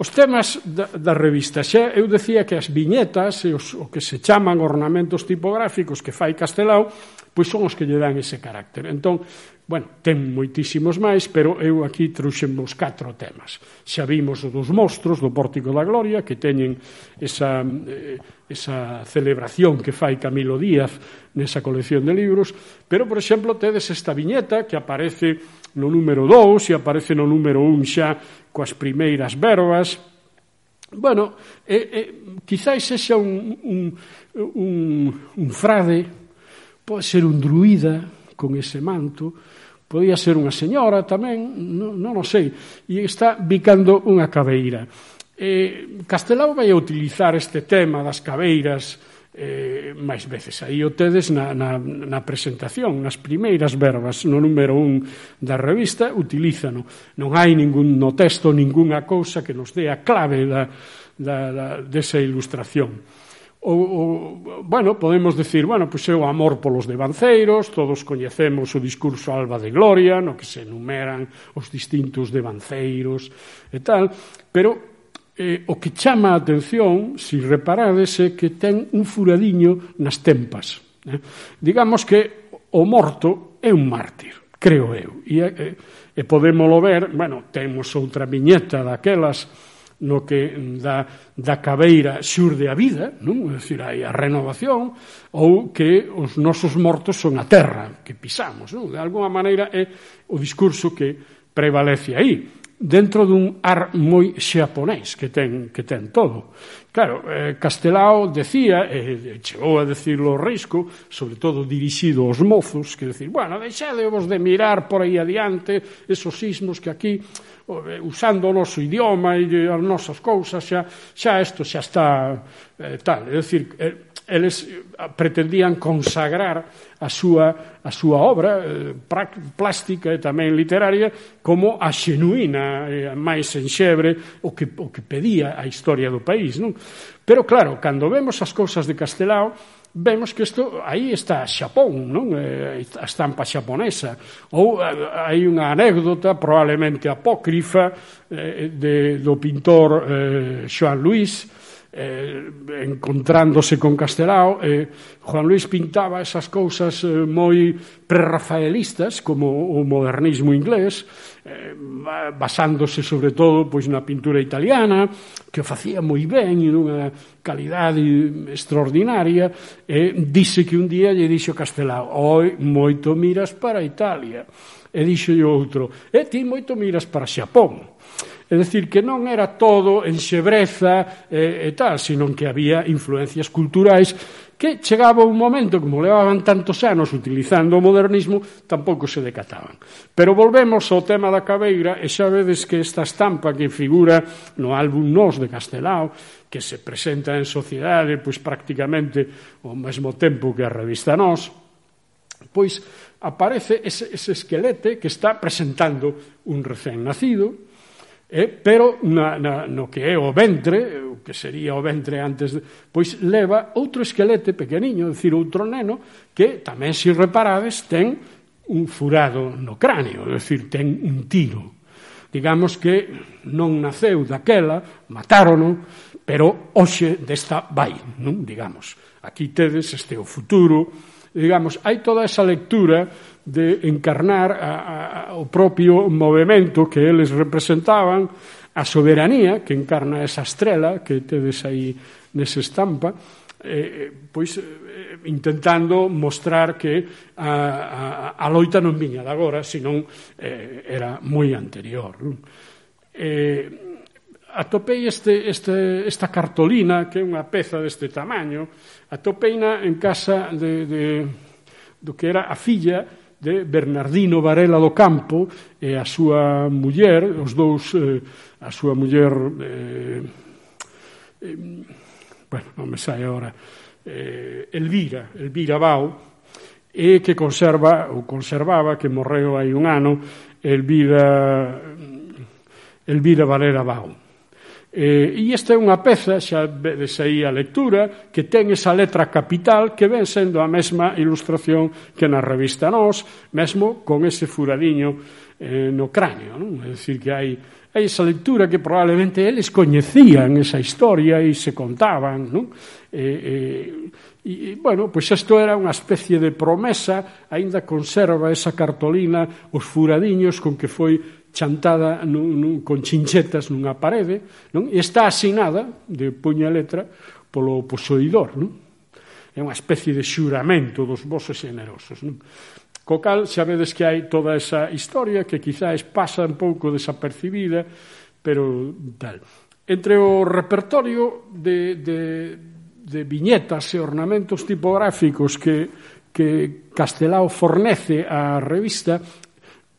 Os temas da revista, xa eu decía que as viñetas e o que se chaman ornamentos tipográficos que fai Castelao, pois son os que lle dan ese carácter. Entón, bueno, ten moitísimos máis, pero eu aquí trouxemos 4 temas. Xa vimos o dos monstros do Pórtico da Gloria, que teñen esa celebración que fai Camilo Díaz nesa colección de libros, pero, por exemplo, tedes esta viñeta que aparece no número 2 e aparece no número 1 xa coas primeiras verbas. Bueno, quizáis sexa un frade, pode ser un druida con ese manto, podía ser unha señora tamén, non o sei, e está bicando unha cabeira. Castelao vai a utilizar este tema das cabeiras máis veces. Aí o tedes na presentación, nas primeiras verbas, no número 1 da revista, utilízano. Non hai no texto ningunha cousa que nos dé a clave desa ilustración. Bueno, podemos decir, pois é o amor polos devanceiros, todos coñecemos o discurso Alba de Gloria, no que se enumeran os distintos devanceiros e tal, pero o que chama a atención, se reparades, é que ten un furadiño nas tempas. Digamos que o morto é un mártir, creo eu, e podémolo ver, temos outra viñeta daquelas no que da cabeira xurde a vida, non? É dicir, hai a renovación, ou que os nosos mortos son a terra que pisamos, non? De alguma maneira é o discurso que prevalece aí, dentro dun ar moi xaponés que ten todo. Claro, Castelao decía, e chegou a decirlo Risco, sobre todo dirixido aos mozos, que decir, deixadevos de mirar por aí adiante esos sismos que aquí, usando o noso idioma e as nosas cousas, xa isto xa está tal. É dicir, eles pretendían consagrar a súa obra plástica e tamén literaria como a xenuína, máis enxebre, o que pedía a historia do país, non? Pero claro, cando vemos as cousas de Castelao, vemos que isto, aí está Xapón, non? A estampa xaponesa. Ou hai unha anécdota, probablemente apócrifa, do pintor Joan Luis, encontrándose con Castelao. Juan Luis pintaba esas cousas moi prerrafaelistas, como o modernismo inglés, basándose sobre todo pois na pintura italiana, que o facía moi ben e nunha calidade extraordinaria. Dice que un día lle dixo Castelao: "Oi, moito miras para Italia", e dixo outro: "E ti moito miras para Xapón". É dicir, que non era todo enxebreza e tal, sino que había influencias culturais que chegaba un momento, como levaban tantos anos utilizando o modernismo, tampouco se decataban. Pero volvemos ao tema da cabeira, e xa vedes que esta estampa que figura no álbum Nós de Castelao, que se presenta en sociedade pois prácticamente ao mesmo tempo que a revista Nós, pois aparece ese esquelete que está presentando un recén nacido, pero no que é o ventre, o que sería o ventre antes, pois leva outro esquelete pequeniño, é dicir, outro neno, que tamén, se reparades, ten un furado no cráneo, é dicir, ten un tiro. Digamos que non naceu daquela, matárono, pero hoxe desta vai, non? Digamos, aquí tedes este o futuro, digamos, hai toda esa lectura de encarnar o propio movimento que eles representaban, a soberanía que encarna esa estrela que tedes aí nesa estampa, pois intentando mostrar que a loita non viña de agora, senón era moi anterior. Atopei esta cartolina, que é unha peza deste tamaño, atopeina en casa do que era a filla de Bernardino Varela do Campo e a súa muller, os dous, a súa muller, bueno, non me sai agora, Elvira Bao, e que conservaba, que morreu hai un ano, Elvira Varela Bao. E esta é unha peza, xa vedes aí a lectura, que ten esa letra capital que ven sendo a mesma ilustración que na revista Nós, mesmo con ese furadiño no cráneo, non? É dicir, que hai esa lectura que probablemente eles coñecían esa historia e se contaban, non? E, bueno, pois isto era unha especie de promesa, aínda conserva esa cartolina, os furadiños con que foi chantada con chinchetas nunha parede, non? E está asinada de puño e letra polo posuidor, non? É unha especie de xuramento dos vosos generosos, non? Co cal, xa vedes que hai toda esa historia que quizás pasa un pouco desapercibida, pero tal. Entre o repertorio de viñetas e ornamentos tipográficos que Castelao fornece á revista,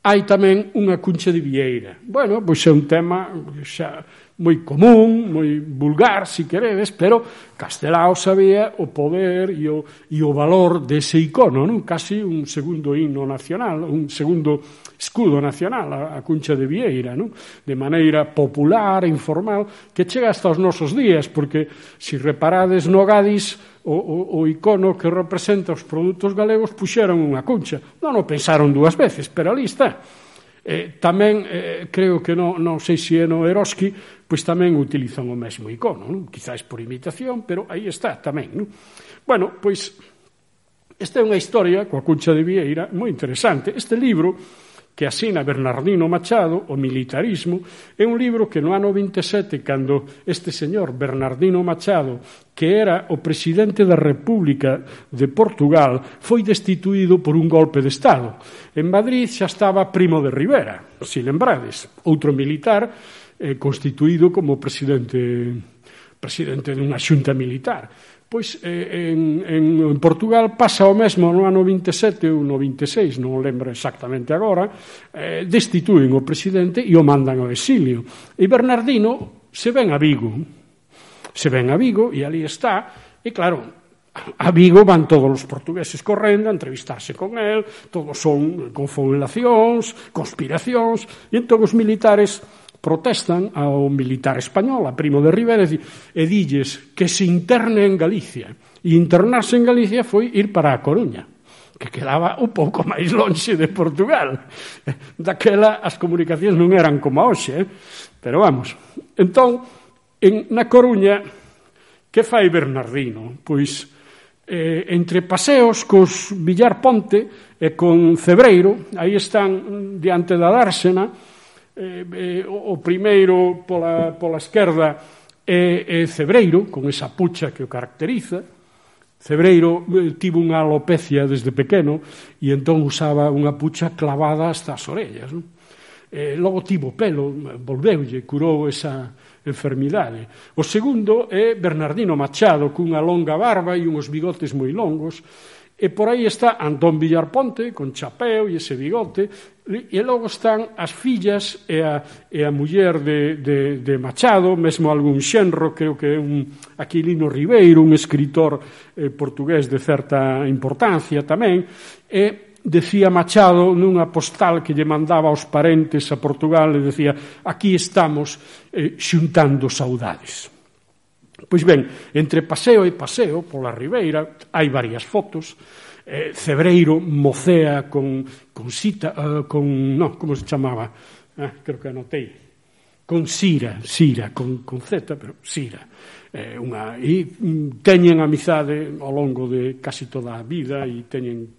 hai tamén unha cuncha de vieira. Bueno, pois é un tema xa moi común, moi vulgar, se queredes, pero Castelao sabía o poder e o valor dese icono, non? Casi un segundo himno nacional, un segundo escudo nacional, a cuncha de vieira, non? De maneira popular, informal, que chega hasta os nosos días, porque se reparades no Gadis, o icono que representa os produtos galegos puxeron unha cuncha. Non o pensaron dúas veces, pero ali está. Tamén, creo que non sei se é no Eroski, pois tamén utilizan o mesmo icono, non? Quizás por imitación, pero aí está tamén, non? Bueno, pois esta é unha historia coa cuncha de vieira moi interesante. Este libro que asina Bernardino Machado, O militarismo, é un libro que no ano 27, cando este señor Bernardino Machado, que era o presidente da República de Portugal, foi destituído por un golpe de Estado. En Madrid xa estaba Primo de Rivera, se lembrades, outro militar constituído como presidente dunha xunta militar. Pois en Portugal pasa o mesmo no ano 27 ou no 26, non o lembro exactamente agora, destituen o presidente e o mandan ao exilio. E Bernardino se ven a Vigo e ali está, e claro, a Vigo van todos os portugueses correndo a entrevistarse con el, todos son confabulacións, conspiracións, e entón os militares protestan ao militar español, a Primo de Rivera, e dilles que se interne en Galicia. E internarse en Galicia foi ir para a Coruña, que quedaba un pouco máis lonxe de Portugal. Daquela as comunicacións non eran como hoxe, pero vamos. Entón, na Coruña, que fai Bernardino? Pois, entre paseos cos Villar Ponte e con Cebreiro, aí están diante da dársena, o primeiro pola esquerda é Cebreiro, con esa pucha que o caracteriza. Cebreiro tivo unha alopecia desde pequeno e entón usaba unha pucha clavada hasta as orellas, non? Logo tivo pelo, volveulle, curou esa enfermidade. O segundo é Bernardino Machado, cunha longa barba e uns bigotes moi longos. E por aí está Antón Villar Ponte, con chapeo e ese bigote, e logo están as fillas e a muller de Machado, mesmo algún xenro, creo que é un Aquilino Ribeiro, un escritor portugués de certa importancia tamén, e decía Machado nunha postal que lle mandaba aos parentes a Portugal, e decía: aquí estamos xuntando saudades. Pois ben, entre paseo e paseo pola Ribeira hai varias fotos. Cebreiro mocea con Sita, como se chamaba? Creo que anotei. Con Sira, con Z, pero Sira. E teñen amizade ao longo de casi toda a vida e teñen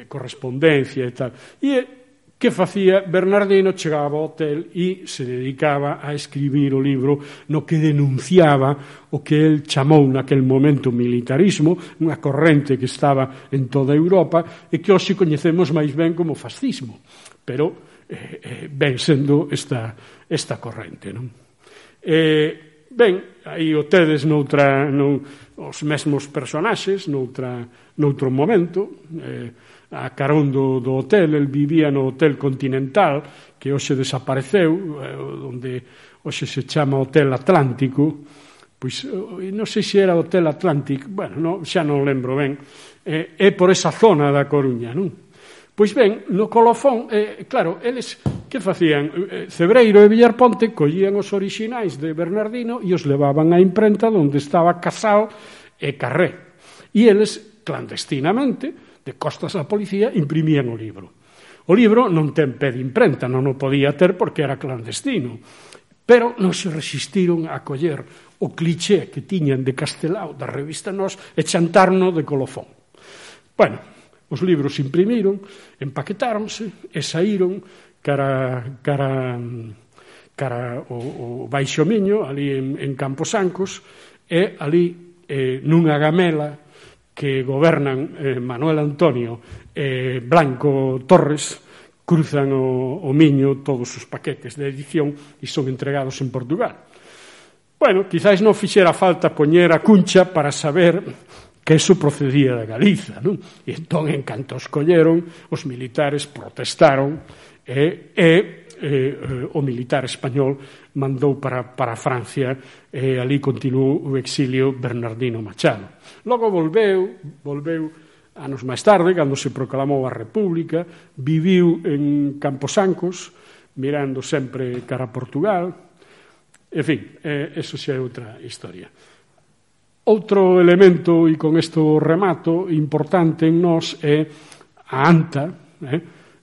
correspondencia e tal. E que facía? Bernardino chegaba ao hotel e se dedicaba a escribir o libro no que denunciaba o que el chamou naquel momento militarismo, unha corrente que estaba en toda Europa e que hoxe coñecemos máis ben como fascismo, pero ven sendo esta corrente, non? Ben, aí o tedes os mesmos personaxes noutro momento. A carón do hotel, el vivía no Hotel Continental, que hoxe desapareceu, onde hoxe se chama Hotel Atlántico. Pois non sei se era Hotel Atlántico, bueno, xa non lembro ben, é por esa zona da Coruña, non? Pois ben, no colofón, claro, eles que facían? Cebreiro e Villarponte collían os orixinais de Bernardino e os levaban á imprenta onde estaba Casal e Carré. E eles, clandestinamente, de costas á policía, imprimían o libro. O libro non ten pé de imprenta, non o podía ter porque era clandestino, pero non se resistiron a coller o cliché que tiñan de Castelao da revista Nós e chantarno de colofón. Bueno, os libros se imprimiron, empaquetáronse e saíron cara o Baixo Miño, ali en Camposancos, e ali nunha gamela que gobernan Manuel Antonio e Blanco Torres, cruzan o Miño todos os paquetes de edición e son entregados en Portugal. Bueno, quizáis non fixera falta poñer a cuncha para saber que eso procedía da Galiza, non? E entón, en canto os colleron, os militares protestaron e o militar español mandou para Francia e ali continuou o exilio Bernardino Machado. Logo volveu anos máis tarde, cando se proclamou a República, viviu en Camposancos, mirando sempre cara a Portugal. En fin, eso xa é outra historia. Outro elemento, e con isto remato, importante en nós é a anta,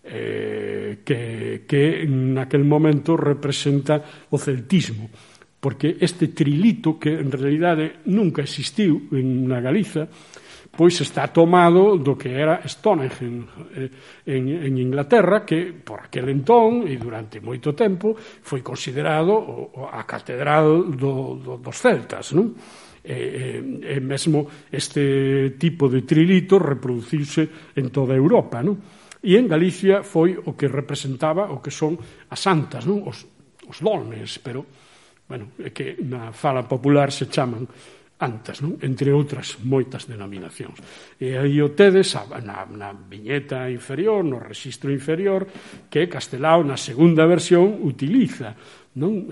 que naquel momento representa o celtismo, porque este trilito, que en realidade nunca existiu na Galiza, pois está tomado do que era Stonehenge en Inglaterra, que por aquel entón e durante moito tempo foi considerado a catedral dos celtas, non? E mesmo este tipo de trilito reproduciuse en toda Europa, non? E en Galicia foi o que representaba o que son as santas, non? Os dolmens, pero, bueno, é que na fala popular se chaman antas, non? Entre outras moitas denominacións. E aí o tedes na viñeta inferior, no rexistro inferior, que Castelao na segunda versión utiliza, non?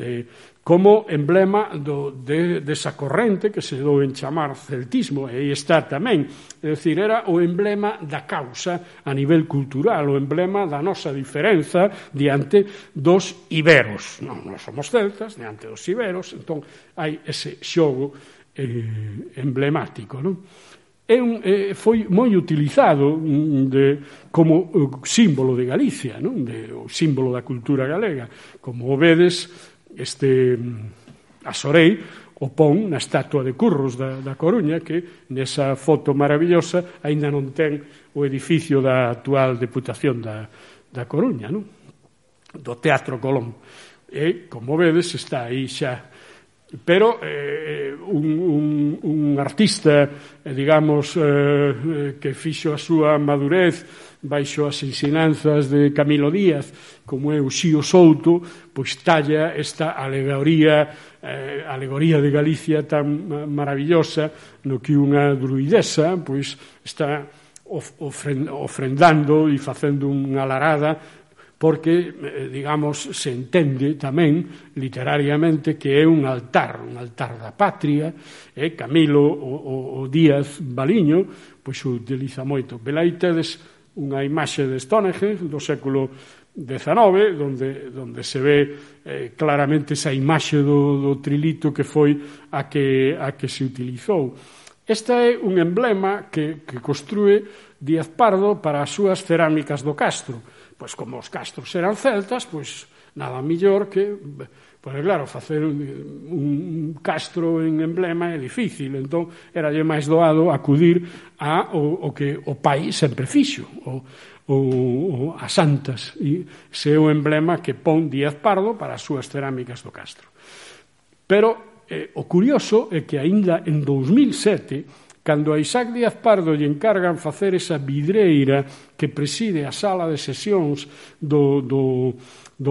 Como emblema desa corrente que se dou en chamar celtismo, e aí está tamén, é dicir, era o emblema da causa a nivel cultural, o emblema da nosa diferenza diante dos iberos. Non somos celtas, diante dos iberos, entón hai ese xogo emblemático, non? Foi moi utilizado como símbolo de Galicia, non? O símbolo da cultura galega. Como vedes, Asorei o pon na estatua de Curros da Coruña, que nesa foto maravillosa aínda non ten o edificio da actual Deputación da Coruña, non? Do Teatro Colón. E, como vedes, está aí xa. Pero un artista, digamos, que fixo a súa madurez baixo as ensinanzas de Camilo Díaz, como é o Xío Souto, pois talla esta alegoría de Galicia tan maravillosa, no que unha druidesa pois está ofrendando e facendo unha alarada, porque, digamos, se entende tamén literariamente que é un altar da patria, Camilo o Díaz Baliño pois o utiliza moito. Velaí tedes unha imaxe de Stonehenge do século XIX, donde se ve claramente esa imaxe do trilito que foi a que se utilizou. Este é un emblema que construe Díaz Pardo para as súas cerámicas do castro. Pois como os castros eran celtas, pois nada mellor que... Pois claro, facer un castro en emblema é difícil, entón eralle máis doado acudir ao que o pai sempre fixo, a Santas, e se é o emblema que pon Díaz Pardo para as súas cerámicas do castro. Pero o curioso é que aínda en 2007, cando a Isaac Díaz Pardo lle encargan facer esa vidreira que preside a sala de sesións do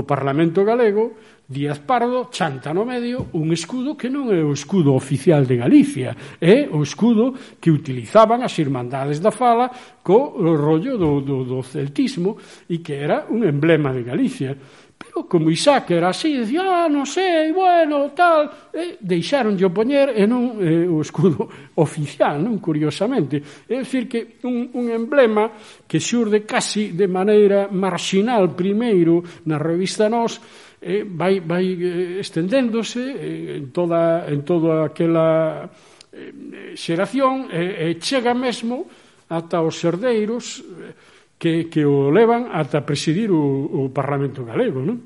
Parlamento galego, Díaz Pardo chanta no medio un escudo que non é o escudo oficial de Galicia, é o escudo que utilizaban as Irmandades da Fala co rollo do celtismo e que era un emblema de Galicia. Pero como Isaac era así, decía, non sei, bueno, tal, deixaronlle o poñer e non o escudo oficial, non, curiosamente. É dicir que un emblema que xurde casi de maneira marxinal primeiro na revista Nós, vai estendéndose en toda aquela xeración e chega mesmo ata os herdeiros que o levan ata presidir o Parlamento galego, non?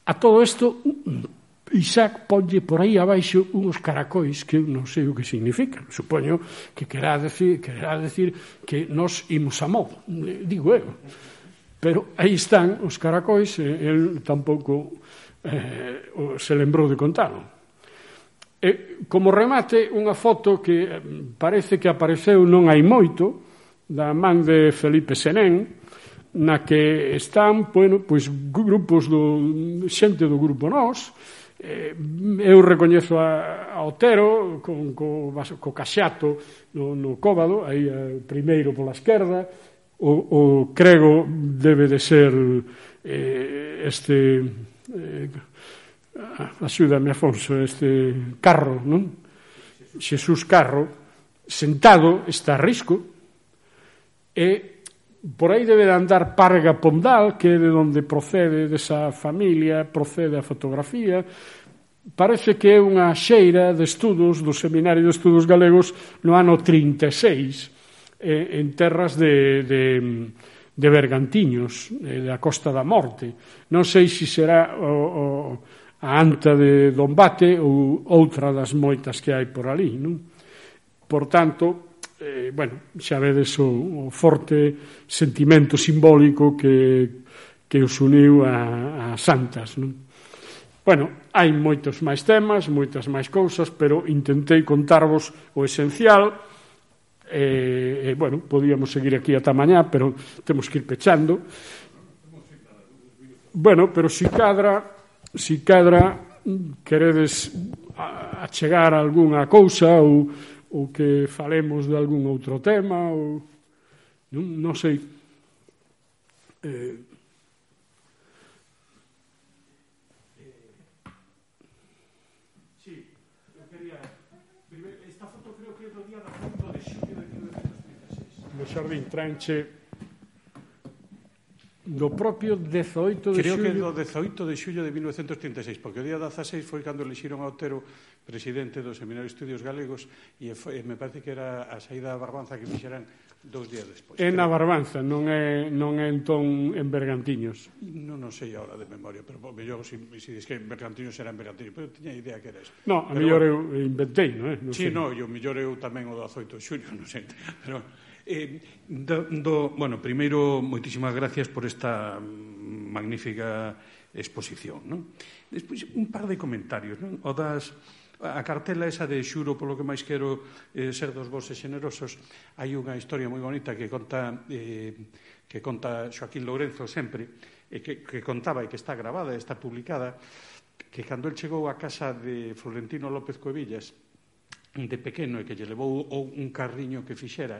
A todo isto Isaac ponlle por aí abaixo uns caracois que non sei o que significan. Supoño que querá decir que nos imos a modo, digo eu. Pero aí están os caracois e el tampouco se lembrou de contalo. Como remate, unha foto que parece que apareceu non hai moito, da man de Felipe Senén, na que están, bueno, pois grupos xente do grupo Nós. Eu recoñezo a Otero co Caxato no Cóbado, aí primeiro pola esquerda. O Crego debe de ser axúdame Afonso, Carro, non? Xesús Carro, sentado, está a risco, e por aí debe de andar Parga Pondal, que é de onde procede desa familia, procede a fotografía. Parece que é unha xeira de estudos do Seminario de Estudos Galegos no ano 36, en terras de Bergantiños, da Costa da Morte. Non sei se será a anta de Dombate ou outra das moitas que hai por ali, non? Por tanto, bueno, xa vedes o forte sentimento simbólico que os uniu a Santas, non? Bueno, hai moitos máis temas, moitas máis cousas, pero intentei contarvos o esencial. Bueno, podíamos seguir aquí ata mañá, pero temos que ir pechando. Bueno, pero si cadra queredes achegar algunha cousa ou que falemos de algún outro tema ou non sei. No Xardín Tranche do propio 18 de xullo. Creo que do 18 de xullo de 1936, porque o día 16 foi cando elixiron a Otero presidente do Seminario de Estudios Galegos e me parece que era a saída da Barbanza que fixeran 2 días despois. É na Barbanza, non é entón en Bergantiños. Non sei ahora de memoria, pero mellor se dis que Bergantiños era en Bergantiños, pero tiña idea que era eso. No, a mellor eu inventei, non é? Sí, no, e o mellor eu tamén o 18 de xullo, non sei, pero... bueno, primeiro, moitísimas gracias por esta magnífica exposición, non? Despois, un par de comentarios, non? A cartela esa de xuro polo que máis quero ser dos vosos xenerosos, hai unha historia moi bonita que conta Xoaquín Lourenzo sempre, que contaba e que está gravada, está publicada, que cando el chegou á casa de Florentino López Cuevillas, de pequeno e que lle levou un carriño que fixera,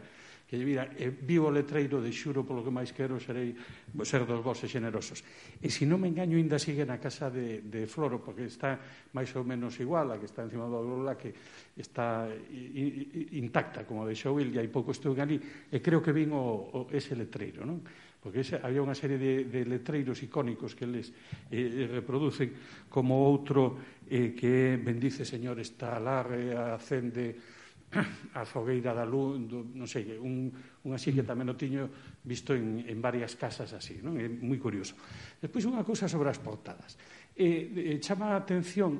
que lle vira, vivo o letreiro de xuro polo que máis quero serei ser dos vosos generosos. E se non me engaño, ainda sigue na casa de Floro, porque está máis ou menos igual, a que está encima do Aurora, que está intacta, como deixou il, e hai pouco estou ali, e creo que vin ese letreiro, non? Porque había unha serie de letreiros icónicos que eles reproducen, como outro que bendice, Señor, esta alarre, acende a fogueira da luz, non sei, un así que tamén o tiño visto en varias casas así, non? É moi curioso. Despois unha cousa sobre as portadas. Chama a atención,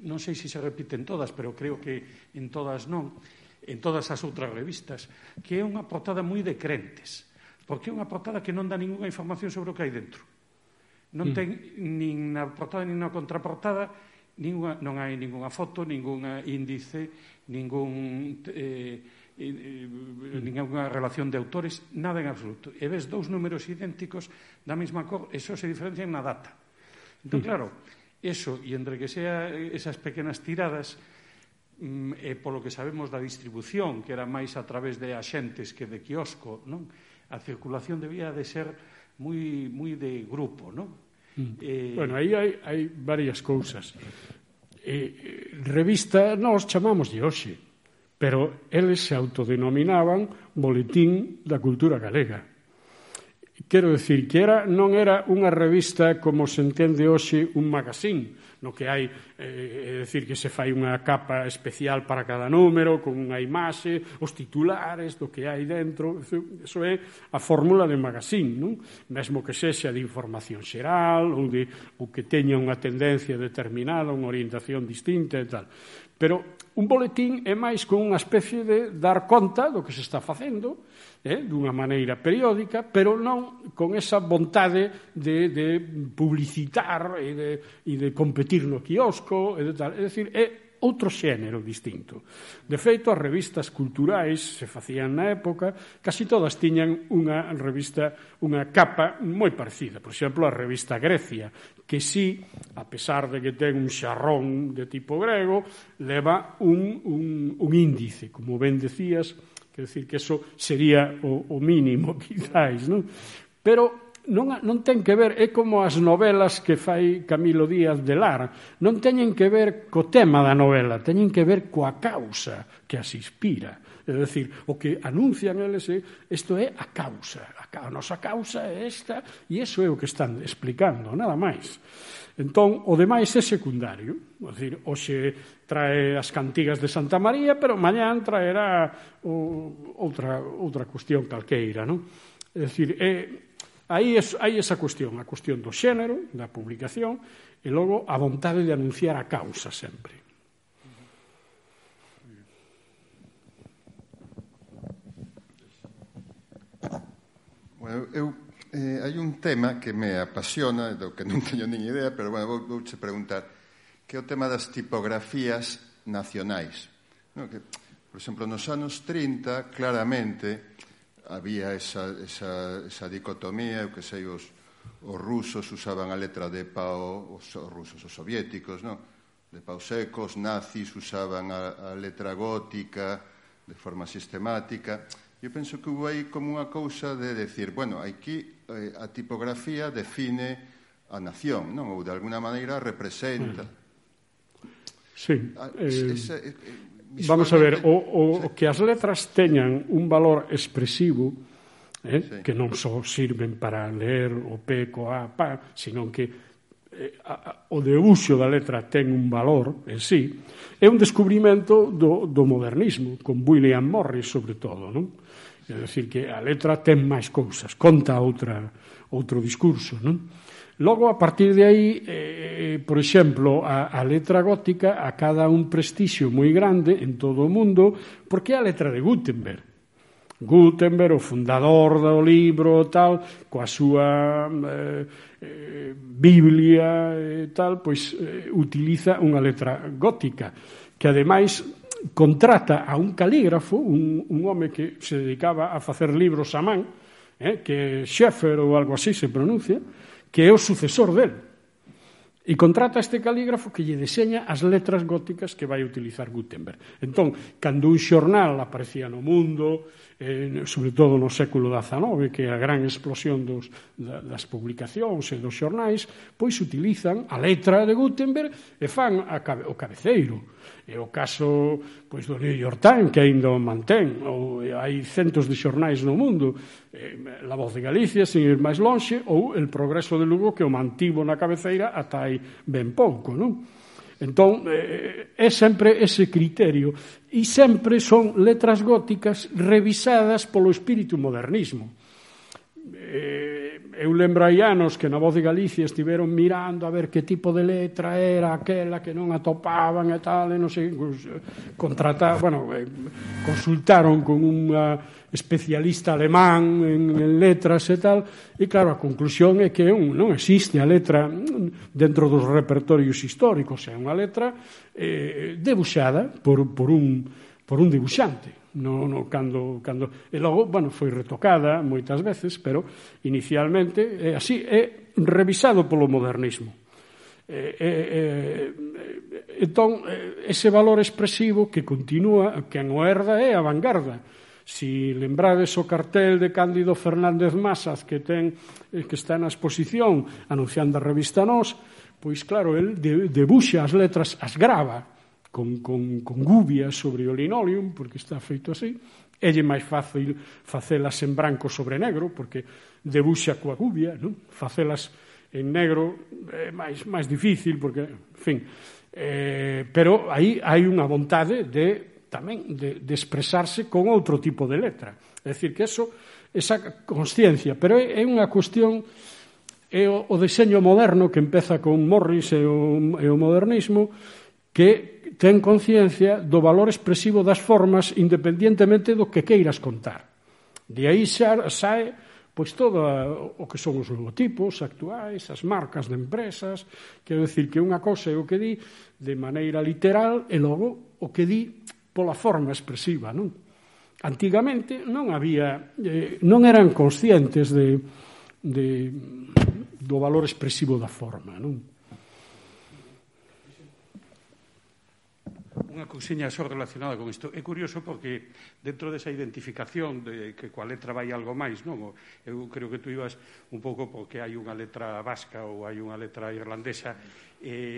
non sei se repiten todas, pero creo que en todas non, en todas as outras revistas, que é unha portada moi de crentes, porque é unha portada que non dá ninguna información sobre o que hai dentro. Non ten nin na portada nin na contraportada, non hai ninguna foto, ningún índice, ninguna relación de autores, nada en absoluto. E ves dous números idénticos da mesma cor, e só se diferencian na data. Entón, claro, eso, e entre que sea esas pequenas tiradas, e polo que sabemos da distribución, que era máis a través de axentes que de quiosco, non? A circulación debía de ser moi de grupo, non? Bueno, aí hai varias cousas. Revista, nós chamamos de hoxe, pero eles se autodenominaban Boletín da Cultura Galega. Quero dicir que non era unha revista como se entende hoxe un magazín, no que hai, é dicir, que se fai unha capa especial para cada número, con unha imaxe, os titulares do que hai dentro. Eso é a fórmula de magazín, non? Mesmo que sexa de información xeral ou que teña unha tendencia determinada, unha orientación distinta e tal. Pero un boletín é máis con unha especie de dar conta do que se está facendo, dunha maneira periódica, pero non con esa vontade de publicitar e de competir no quiosco e de tal. É dicir, é outro xénero distinto. De feito, as revistas culturais se facían na época, casi todas tiñan unha revista, unha capa moi parecida. Por exemplo, a revista Grecia, que sí, a pesar de que ten un xarrón de tipo grego, leva un índice, como ben decías. Quer decir que eso sería o mínimo, quizáis, non? Pero non ten que ver, é como as novelas que fai Camilo Díaz de Lara, non teñen que ver co tema da novela, teñen que ver coa causa que as inspira. É dicir, o que anuncian eles isto é a causa, a nosa causa é esta, e iso é o que están explicando, nada máis. Entón, o demais é secundario. É dicir, hoxe trae as cantigas de Santa María, pero mañán traerá outra cuestión calqueira, non? É dicir, aí esa cuestión, a cuestión do xénero, da publicación, e logo a vontade de anunciar a causa sempre. Bueno, hai un tema que me apasiona, do que non teño nin idea, pero bueno, vouche preguntar, que é o tema das tipografías nacionais. No, que, por exemplo, nos anos 30, claramente, había esa dicotomía, que sei, os rusos usaban a letra de pau, os rusos, os soviéticos, no? De pau seco, os nazis usaban a letra gótica de forma sistemática. Eu penso que hubo aí como unha cousa de decir, bueno, aquí a tipografía define a nación, non? Ou de alguna maneira representa. Sí. Vamos a ver, o que as letras teñan un valor expresivo, sí, que non só sirven para ler o P, co A, pa, sino que o de uso da letra ten un valor en sí, é un descubrimento do modernismo, con William Morris sobre todo, non? É dicir, que a letra ten máis cousas, conta outro discurso, non? Logo, a partir de aí, por exemplo, a letra gótica acada un prestixio moi grande en todo o mundo, porque é a letra de Gutenberg. Gutenberg, o fundador do libro, tal, coa súa Biblia e tal, pois utiliza unha letra gótica, que ademais contrata a un calígrafo, un home que se dedicaba a facer libros a man, que Schaeffer ou algo así se pronuncia, que é o sucesor del. E contrata este calígrafo que lle deseña as letras góticas que vai utilizar Gutenberg. Entón, cando un xornal aparecía no mundo, sobre todo no século XIX, que é a gran explosión das publicacións e dos xornais, pois utilizan a letra de Gutenberg e fan o cabeceiro. É o caso pois, do New York Times, que ainda o mantén, ou hai centos de xornais no mundo, La Voz de Galicia, sin ir máis lonxe, ou El Progreso de Lugo, que o mantivo na cabeceira ata hai ben pouco, non? Entón, é sempre ese criterio, e sempre son letras góticas revisadas polo espírito modernismo. Eu lembro hai anos que na Voz de Galicia estiveron mirando a ver que tipo de letra era aquela que non atopaban e tal, e non sei, consultaron con unha especialista alemán en letras e tal, e claro, a conclusión é que non existe a letra dentro dos repertorios históricos, é unha letra debuxada por un dibuxante. E logo, foi retocada moitas veces, pero inicialmente é así, é revisado polo modernismo. Entón, ese valor expresivo que continúa, que o herda é a vanguarda. Si lembrades o cartel de Cándido Fernández Masas que está na exposición anunciando a revista Nós, pois claro, el debuxa as letras, as grava con gubia sobre o linóleo, porque está feito así. É máis fácil facelas en branco sobre negro, porque debuxa coa gubia, non? Facelas en negro é máis difícil, porque, en fin, pero aí hai unha vontade tamén de expresarse con outro tipo de letra. É dicir, que esa consciencia, pero é unha cuestión, é o deseño moderno que empeza con Morris e o modernismo, que ten conciencia do valor expresivo das formas independientemente do que queiras contar. De aí sae pois todo o que son os logotipos actuais, as marcas de empresas, quero dicir que unha cousa é o que di de maneira literal e logo o que di pola forma expresiva, non? Antigamente non eran conscientes do valor expresivo da forma, non? Unha cousiña só relacionada con isto. É curioso porque dentro desa identificación de que coa letra vai algo máis, non? Eu creo que tú ibas un pouco porque hai unha letra vasca ou hai unha letra irlandesa,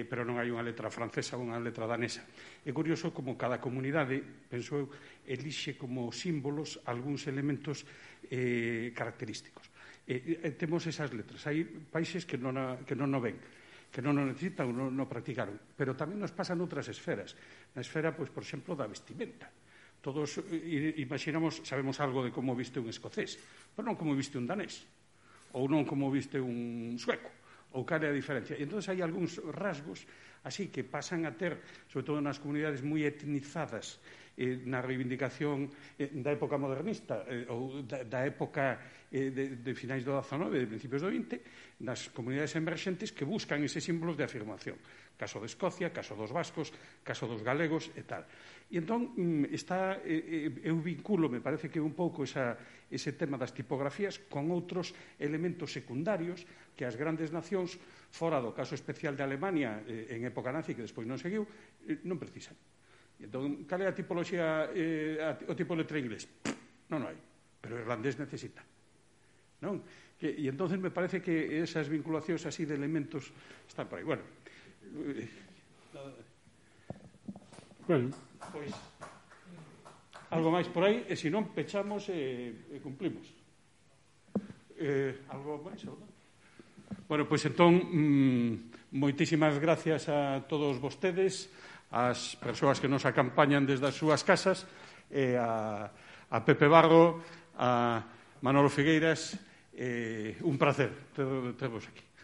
pero non hai unha letra francesa ou unha letra danesa. É curioso como cada comunidade, penso eu, elixe como símbolos algúns elementos característicos. Temos esas letras. Hai países que non o ven, que non o necesitan ou non o practicaron. Pero tamén nos pasan outras esferas. Na esfera, pois, por exemplo, da vestimenta. Todos imaginamos, sabemos algo de como viste un escocés, pero non como viste un danés, ou non como viste un sueco, ou cal é a diferencia. E entón hai algúns rasgos así que pasan a ter, sobre todo nas comunidades moi etnizadas, na reivindicación da época modernista ou da época de finais do XIX e de principios do XX, nas comunidades emerxentes que buscan eses símbolos de afirmación. Caso de Escocia, caso dos vascos, caso dos galegos e tal. E entón, eu vinculo, me parece que un pouco ese tema das tipografías con outros elementos secundarios que as grandes nacións, fora do caso especial de Alemania en época nazi, que despois non seguiu, non precisan. E entón, cal é a tipoloxía, o tipo de letra inglés? Non hai, pero o irlandés necesita. Non? E entón me parece que esas vinculacións así de elementos están por aí. Bueno, pois algo máis por aí, e se non pechamos e cumplimos. Algo máis, ou non? Bueno, pois entón moitísimas gracias a todos vostedes, as persoas que nos acompañan desde as súas casas, a Pepe Barro, a Manolo Figueiras, un placer tervos aquí.